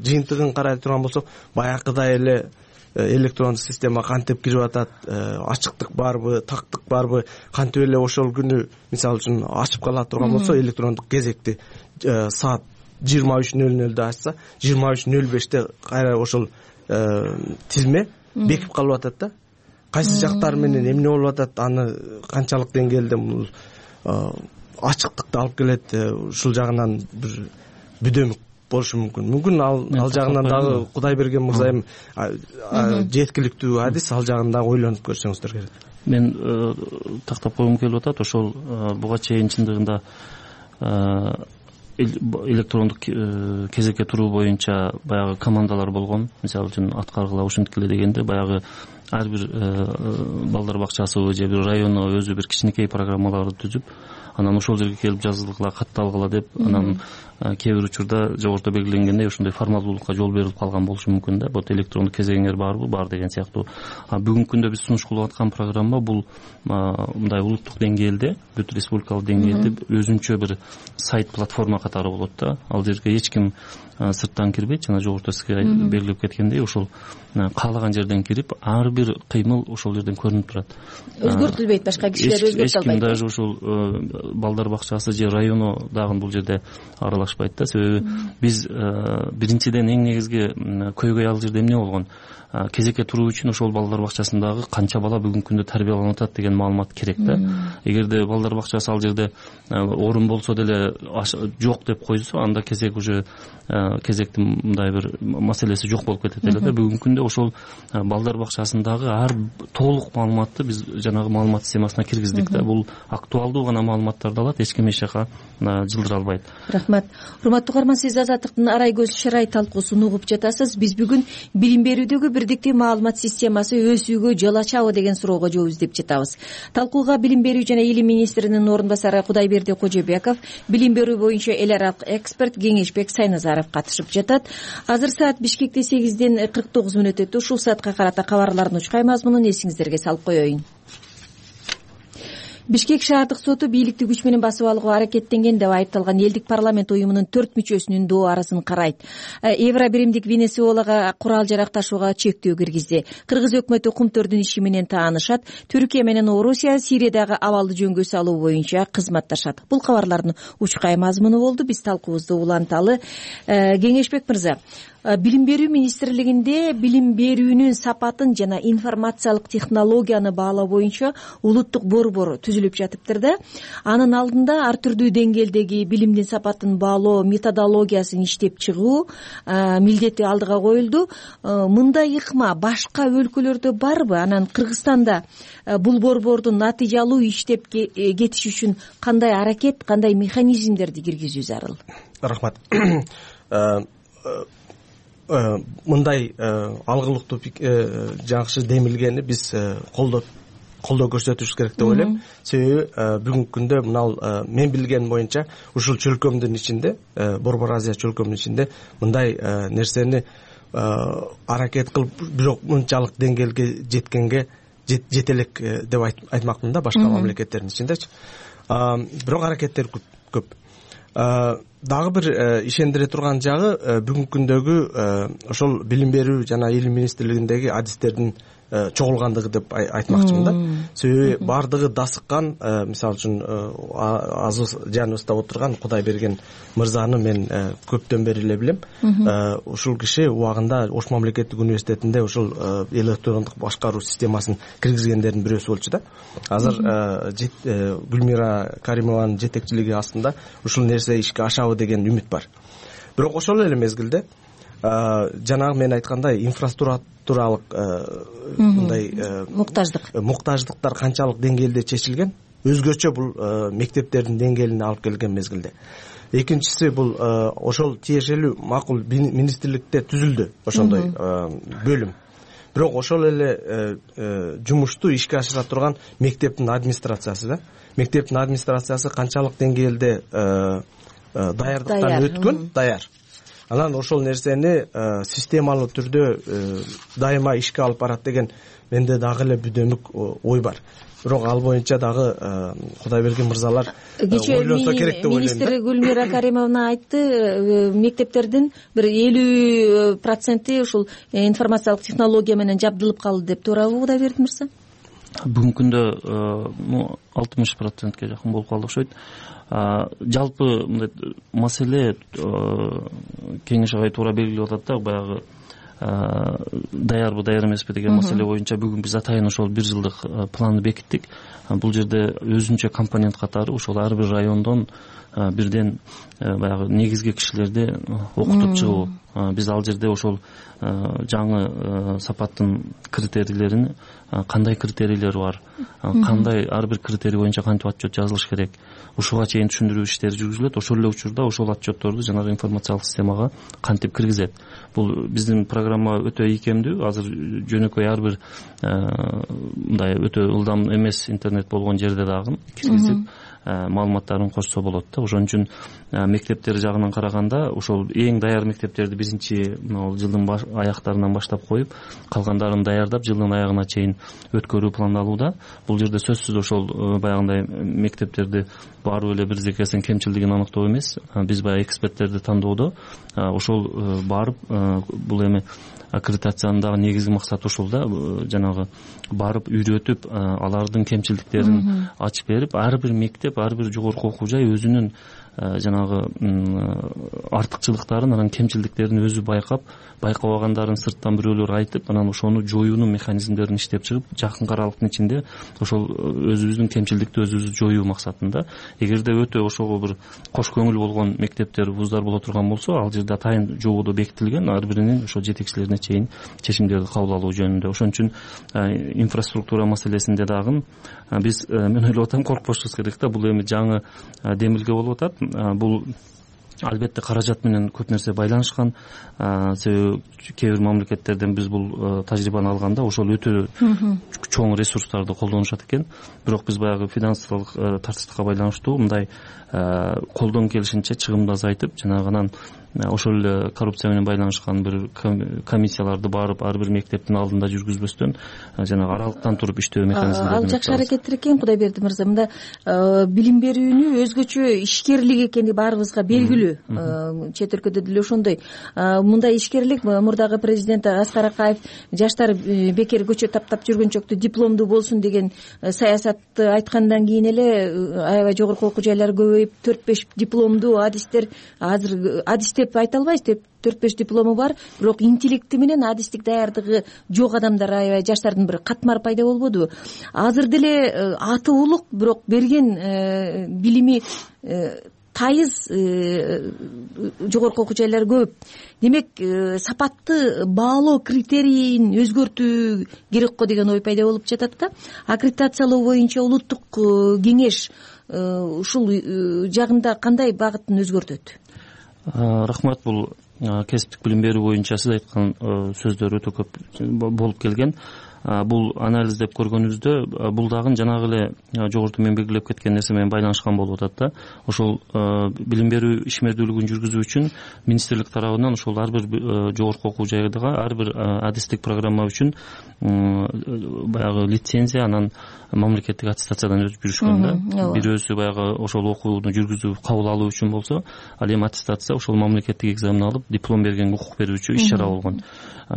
жыйынтыгын карай турган болсок, баягыдай эле электрондук система кантип кирип атат, ачыктык барбы, тактык барбы, кантип эле ошол күнү мисалы үчүн ачып кала турган болсо, электрондук кезекти саат 23:00 ачса, 23:05 кайра ошол тизме бекип калып атат да. Кайсы жактар менен эмне болуп атат, аны канчалык деңгээлде ачыктыкты алып келет, ушул жагынан бир бүдөмүк болушу мүмкүн. Мүмкүн ал жагынан дагы Кудайберген мырза эми жеткиликтүү адис, ал жагын дагы ойлонуп көрсөңүздөр керек. Мен тактап койгум келип атат. Ошол буга чейин чындыгында электрондук кезекке туруу боюнча баягы командалар болгон. Мисалы үчүн аткаргыла ушинткиле дегенде баягы ар бир балдар бакчасыбы же бир району өзү бир кичинекей программаларды түзүп, анан ошол жерге келип жазгыла, катталгыла деп анан кээ бир учурда жогоруда белгиленгендей ошондой формалдуулукка жол берилип калган болушу мүмкүн да. Вот электрондук кезегиңер барбы? Бар деген сыяктуу. Бүгүнкү күндө биз сунуш кылып аткан программа бул мындай улуттук деңгээлде, бүт республикалык деңгээлде өзүнчө бир сайт платформа катары болот да. Ал жерге эч ким сырттан кирбейт, жана жогоруда сизге белгилеп кеткендей, ошол каалаган жерден кирип, ар бир кыймыл ошол жерден көрүнүп турат. Өзгөртүлбөйт, башка кишилер өзгөртө албайт. Эч ким даже ушул балдар бакчасы же району дагы бул жерде аралашпайт да. Себеби биз биринчиден эң негизги көйгөй ал жерде эмне болгон? Кезекке туруу үчүн ошол балдар бакчасындагы канча бала бүгүнкү күндө тарбияланып атат деген маалымат керек да. Эгерде балдар бакчасы ал жерде орун болсо деле жок деп койсо, анда кезек уже кезектин мындай бир маселеси жок болуп кетет эле да. Бүгүнкү күндө ошол балдар бакчасындагы ар толук маалыматты биз жанагы маалымат системасына киргиздик да. Бул актуалдуу гана маалыматтарды алат, эч ким эч жака жылдыра албайт. Рахмат. Урматтуу угарман, сиз Азаттыктын Арай көз шырай талкуусун угуп жатасыз. Биз бүгүн билим берүүдөгү бирдиктүү маалымат системасы өсүүгө жол ачабы деген суроого жооп издеп жатабыз. Талкууга билим берүү жана илим министринин орун басары Кудайберди Кожобеков, билим берүү боюнча эл аралык эксперт Кеңешбек Сайназаров катышып жатат. Азыр саат Бишкекте 8:49 өтөт. Ушул саатка карата кабарлардын учкай мазмунун эсиңиздерге салып коеюн. Бишкек шаардык соту бийликти күч менен басып алууга аракеттенген деп айыпталган элдик парламент уюмунун 4 мүчөсүнүн доо арасын карайт. Евро биримдик Венесуэлага курал жарак ташууга чектөө киргизди. Кыргыз өкмөтү кумтөрдүн иши менен таанышат. Түркия менен Орусия Сириядагы абалды жөнгө салуу боюнча кызматташат. Бул кабарлардын учкай мазмуну болду. Биз талкуубузду уланталы. Кеңешбек мырза, билим берүү министрлигинде билим берүүнүн сапатын жана информациялык технологияны баалоо боюнча улуттук борбор түзүлүп жатыптыр да. Анын алдында ар түрдүү деңгээлдеги билимдин сапатын баалоо методологиясын иштеп чыгуу милдети алдыга коюлду. Мындай ыкма башка өлкөлөрдө барбы? Анан Кыргызстанда бул борбордун натыйжалуу иштеп кетиши үчүн кандай аракет, кандай механизмдерди киргизүү зарыл? Рахмат. Мындай алгылыктуу жакшы демилгени биз колдоо көрсөтүшүбүз керек деп ойлойм. Себеби бүгүнкү күндө мынал мен билгеним боюнча ушул чөлкөмдүн ичинде, Борбор Азия чөлкөмүнүн ичинде мындай нерсени аракет кылып, бирок мынчалык деңгээлге жеткенге жете элек деп айтмакмын да, башка мамлекеттердин ичиндечи. Бирок аракеттер көп. Дагы бир ишендире турган жагы бүгүнкү күндөгү ошол билим берүү жана илим министрлигиндеги адистердин чогулгандыгы деп айтмакчымын да. Себеби бардыгы дасыккан, мисалы үчүн азыр жаныбызда отурган Кудай берген мырзаны мен көптөн бери эле билем. Ушул киши убагында Ош мамлекеттик университетинде ушул электрондук башкаруу системасын киргизгендердин бирөөсү болчу да. Азыр Гүлмира Каримованын жетекчилиги астында ушул нерсе ишке ашабы деген үмүт бар. Бирок ошол эле мезгилде жанагы мен айткандай инфраструктуралык мындай муктаждыктар канчалык деңгээлде чечилген, өзгөчө бул мектептердин деңгээлине алып келген мезгилде. Экинчиси бул ошол тиешелүү макул министрликте түзүлдү ошондой бөлүм. Бирок ошол эле жумушту ишке ашыра турган мектептин администрациясы да. Мектептин администрациясы канчалык деңгээлде даярдыктан өткөн, даяр. Анан ошол нерсени системалуу түрдө дайыма ишке алып барат деген менде дагы эле бүдөмүк ой бар. Бирок ал боюнча дагы Кудайберген мырзалар ойлонсо керек деп ойлойм. Министр Гүлмира Каримовна айтты, мектептердин бир 50% ушул информациялык технология менен жабдылып калды деп. Туурабы Кудайберди мырза? Бүгүнкү күндө 60%ге жакын болуп калды окшойт. Жалпы мындай маселе кеңеш агай туура белгилеп атат да, баягы даярбы, даяр эмеспи деген маселе боюнча бүгүн биз атайын ошол 1 жылдык планды бекиттик. Бул жерде өзүнчө компонент катары ошол ар бир райондон бирден баягы негизги кишилерди окутуп чыгуу. Биз ал жерде ошол жаңы сапаттын критерийлерин, кандай критерийлер бар, кандай ар бир критерий боюнча кантип отчет жазылыш керек, ушуга чейин түшүндүрүү иштери жүргүзүлөт. Ошол эле учурда ошол отчетторду жанагы информациялык системага кантип киргизет. Бул биздин программа өтө ийкемдүү. Азыр жөнөкөй ар бир мындай өтө ылдам эмес интернет болгон жерде дагы киргизип маалыматтарын кошсо болот да. Ошон үчүн мектептер жагынан караганда ошол эң даяр мектептерди биринчи жылдын аяктарынан баштап коюп, калгандарын даярдап жылдын аягына чейин өткөрүү пландалууда. Бул жерде сөзсүз ошол баягындай мектептерди барып эле бирдекесинин кемчилдигин аныктоо эмес. Биз баягы эксперттерди тандоодо ошол барып бул эми аккредитациянын дагы негизги максаты ошол да, жанагы барып үйрөтүп, алардын кемчилдиктерин ачып берип, ар бир мектеп, ар бир жогорку окуу жай өзүнүн жанагы артыкчылыктарын, анан кемчилдиктерин өзү байкап, байкабагандарын сырттан бирөөлөр айтып, анан ошону жоюунун механизмдерин иштеп чыгып, жакын аралыктын ичинде ошол өзүбүздүн кемчилдикти өзүбүз жоюу максатында. Эгерде өтө ошого бир кош көңүл болгон мектептер, вуздар боло турган болсо, ал жерде атайын жободо бекитилген, ар биринин ошо жетекчилерине чейин чечимдерди кабыл алуу жөнүндө. Ошон үчүн инфраструктура маселесинде дагы биз, мен ойлоп атам, коркпошубуз керек да. Бул эми жаңы демилге болуп атат. Бул албетте каражат менен көп нерсе байланышкан. Себеби кээ бир мамлекеттерден биз бул тажрыйбаны алганда ошол өтө чоң ресурстарды колдонушат экен. Бирок биз баягы финансылык тартыштыкка байланыштуу мындай колдон келишинче чыгымды азайтып, жанагы анан ошол эле коррупция менен байланышкан бир комиссияларды барып ар бир мектептин алдында жүргүзбөстөн жанагы аралыктан туруп иштөө механизмдерин. Ал жакшы аракеттер экен, Кудайберди мырза. Мында билим берүүнү өзгөчө ишкерлик экени баарыбызга белгилүү. Чет өлкөдө деле ошондой. Мындай ишкерлик мурдагы президент Аскар Акаев жаштар бекер көчө таптап жүргөнчөктү дипломдуу болсун деген саясатты айткандан кийин эле аябай жогорку окуу жайлар көбөйүп, 4-5 дипломдуу адистер, азыр адис деп айта албайбыз, деп 4-5 диплому бар, бирок интеллекти менен адистик даярдыгы жок адамдар, аябай жаштардын бир катмары пайда болбодубу? Азыр деле аты улук, бирок берген билими тайыз жогорку окуу жайлар көп. Демек, сапатты баалоо критерийин өзгөртүү керек го деген ой пайда болуп жатат да. Аккредитациялоо боюнча улуттук кеңеш ушул жагында кандай багытын өзгөртөт? Рахмат. Бул кесиптик билим берүү боюнча сиз айткан сөздөр өтө көп болуп келген. Бул анализдеп көргөнүбүздө бул дагы жанагы эле жогоруда мен белгилеп кеткен нерсе менен байланышкан болуп атат да. Ошол билим берүү ишмердүүлүгүн жүргүзүү үчүн министрлик тарабынан ошол ар бир жогорку окуу жайдыга ар бир адистик программа үчүн баягы лицензия, анан мамлекеттик аттестациядан өтүп жүрүшкөн да. Бирөөсү баягы ошол окууну жүргүзүп кабыл алуу үчүн болсо, ал эми аттестация ошол мамлекеттик экзамен алып диплом берген укук берүүчү иш чара болгон.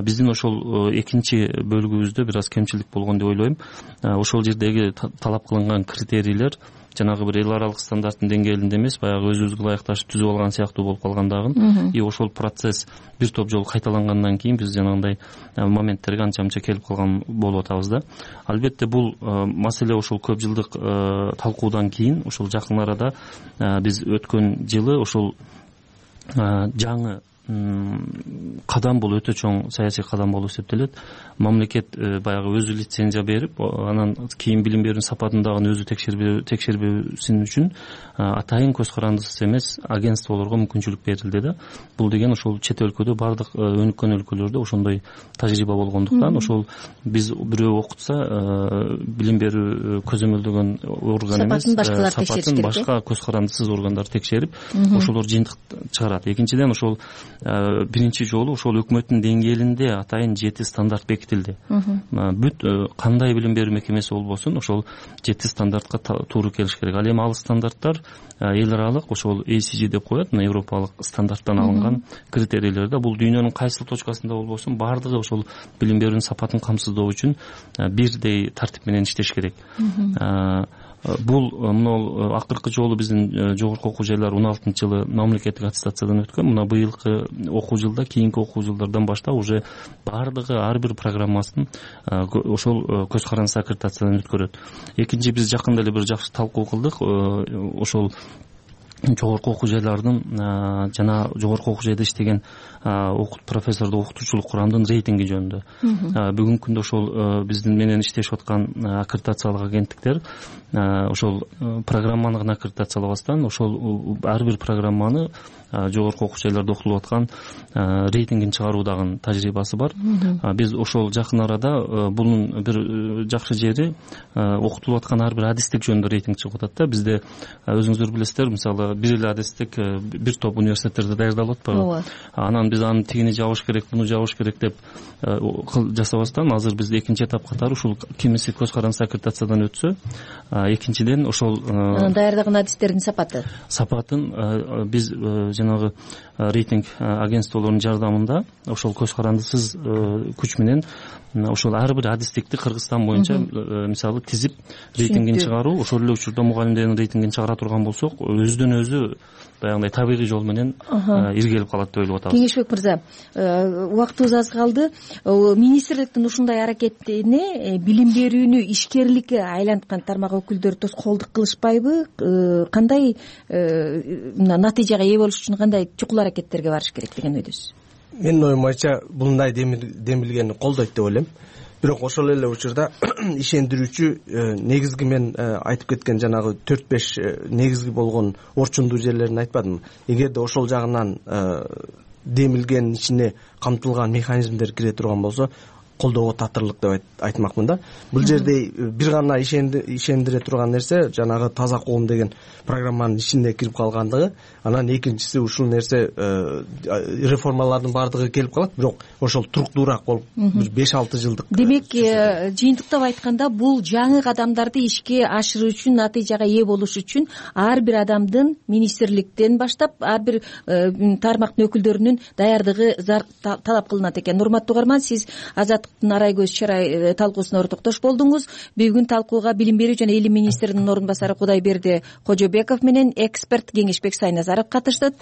Биздин ошол экинчи бөлүгүбүздө бир аз кемчилик болгон деп ойлойм. Ошол жердеги талап кылынган критерийлер жанагы бир эл аралык стандарттын деңгээлинде эмес, баягы өзүбүзгө ылайыкташып түзүп алган сыяктуу болуп калгандагын. И ошол процесс бир топ жолу кайталангандан кийин биз жанагындай моменттерге анча-мынча келип калган болуп атабыз да. Албетте бул маселе ошол көп жылдык талкуудан кийин ошол жакын арада биз өткөн жылы ошол жаңы кадам, бул өтө чоң саясий кадам болуп эсептелет. Мамлекет баягы өзү лицензия берип, анан кийин билим берүүнүн сапатын дагы өзү текшербесин үчүн атайын көз карандысыз эмес агентстволорго мүмкүнчүлүк берилди да. Бул деген ошол чет өлкөдө, бардык өнүккөн өлкөлөрдө ошондой тажрыйба болгондуктан, ошол биз бирөө окутса билим берүү көзөмөлдөгөн орган эмес, сапатын башка көз карандысыз органдар текшерип, ошолор жыйынтык чыгарат. Экинчиден, ошол биринчи жолу ошол өкмөттүн деңгээлинде атайын 7 стандарт бекитилди. Бүт кандай билим берүү мекемеси болбосун, ошол 7 стандартка туура келиш керек. Ал эми ал стандарттар эл аралык ошол ACG деп коет, европалык стандарттан алынган критерийлер да. Бул дүйнөнүн кайсыл точкасында болбосун бардыгы ошол билим берүүнүн сапатын камсыздоо үчүн бирдей тартип менен иштеш керек. Бул мына акыркы жолу биздин жогорку окуу жайлар 16-жылы мамлекеттик аттестациядан өткөн. Мына быйылкы окуу жылда, кийинки окуу жылдардан баштап уже бардыгы ар бир программасын ошол көз карандысыз аккредитациядан өткөрөт. Экинчи, биз жакында эле бир жакшы талкуу кылдык. Ошол жогорку окуу жайлардын жана жогорку окуу жайда иштеген профессордук окутуучулук курамдын рейтинги жөнүндө. Бүгүнкү күндө ошол биздин менен иштешип аткан аккредитациялык агенттиктер ошол программаны гана аккредитациялабастан, ошол ар бир программаны жогорку окуу жайларда окутулуп аткан рейтингин чыгаруу дагы тажрыйбасы бар. Биз ошол жакын арада бунун бир жакшы жери окутулуп аткан ар бир адистик жөнүндө рейтинг чыгып атат да. Бизде өзүңүздөр билесиздер, мисалы бир эле адистик бир топ университеттерде даярдалып атпайбы? Ооба. Анан биз аны тигини жабыш керек, буну жабыш керек деп жасабастан азыр биз экинчи этап катары ушул кимиси көз каранды аккредитациядан өтсө, экинчиден ошол даярдаган адистердин сапатын биз жанагы рейтинг агентстволорунун жардамында ошол көз карандысыз күч менен ошол ар бир адистикти Кыргызстан боюнча мисалы тизип рейтингин чыгаруу, ошол эле учурда мугалимдердин рейтингин чыгара турган болсок, өзүдөн өзү баягындай табигый жол менен иргелип калат деп ойлоп атабыз. Кеңешбек мырза, убактыбыз аз калды. Министрликтин ушундай аракетине билим берүүнү ишкерликке айланткан тармак өкүлдөрү тоскоолдук кылышпайбы? Кандай натыйжага ээ болуш үчүн кандай чукул аракеттерге барыш керек деген ойдосуз? Менин оюм боюнча мындай демилгени колдойт деп ойлойм. Бирок ошол эле учурда ишендирүүчү негизги мен айтып кеткен жанагы 4-5 негизги болгон орчундуу жерлерин айтпадымбы? Эгерде ошол жагынан демилгенин ичине камтылган механизмдер кире турган болсо, колдоого татырлык деп айтмакмын да. Бул жерде бир гана ишендире турган нерсе жанагы таза коом деген программанын ичинде кирип калгандыгы, анан экинчиси ушул нерсе реформалардын баардыгы келип калат, бирок ошол туруктуураак болуп бир 5-6 жылдык. Демек, жыйынтыктап айтканда, бул жаңы кадамдарды ишке ашыруу үчүн, натыйжага ээ болуш үчүн ар бир адамдын министрликтен баштап ар бир тармактын өкүлдөрүнүн даярдыгы талап кылынат экен. Урматтуу угарман, сиз Арай көз чарай талкуусуна ортоктош болдуңуз. Бүгүн талкууга билим берүү жана илим министринин орун басары Кудайберди Кожобеков менен эксперт Кеңешбек Сайназаров катышты.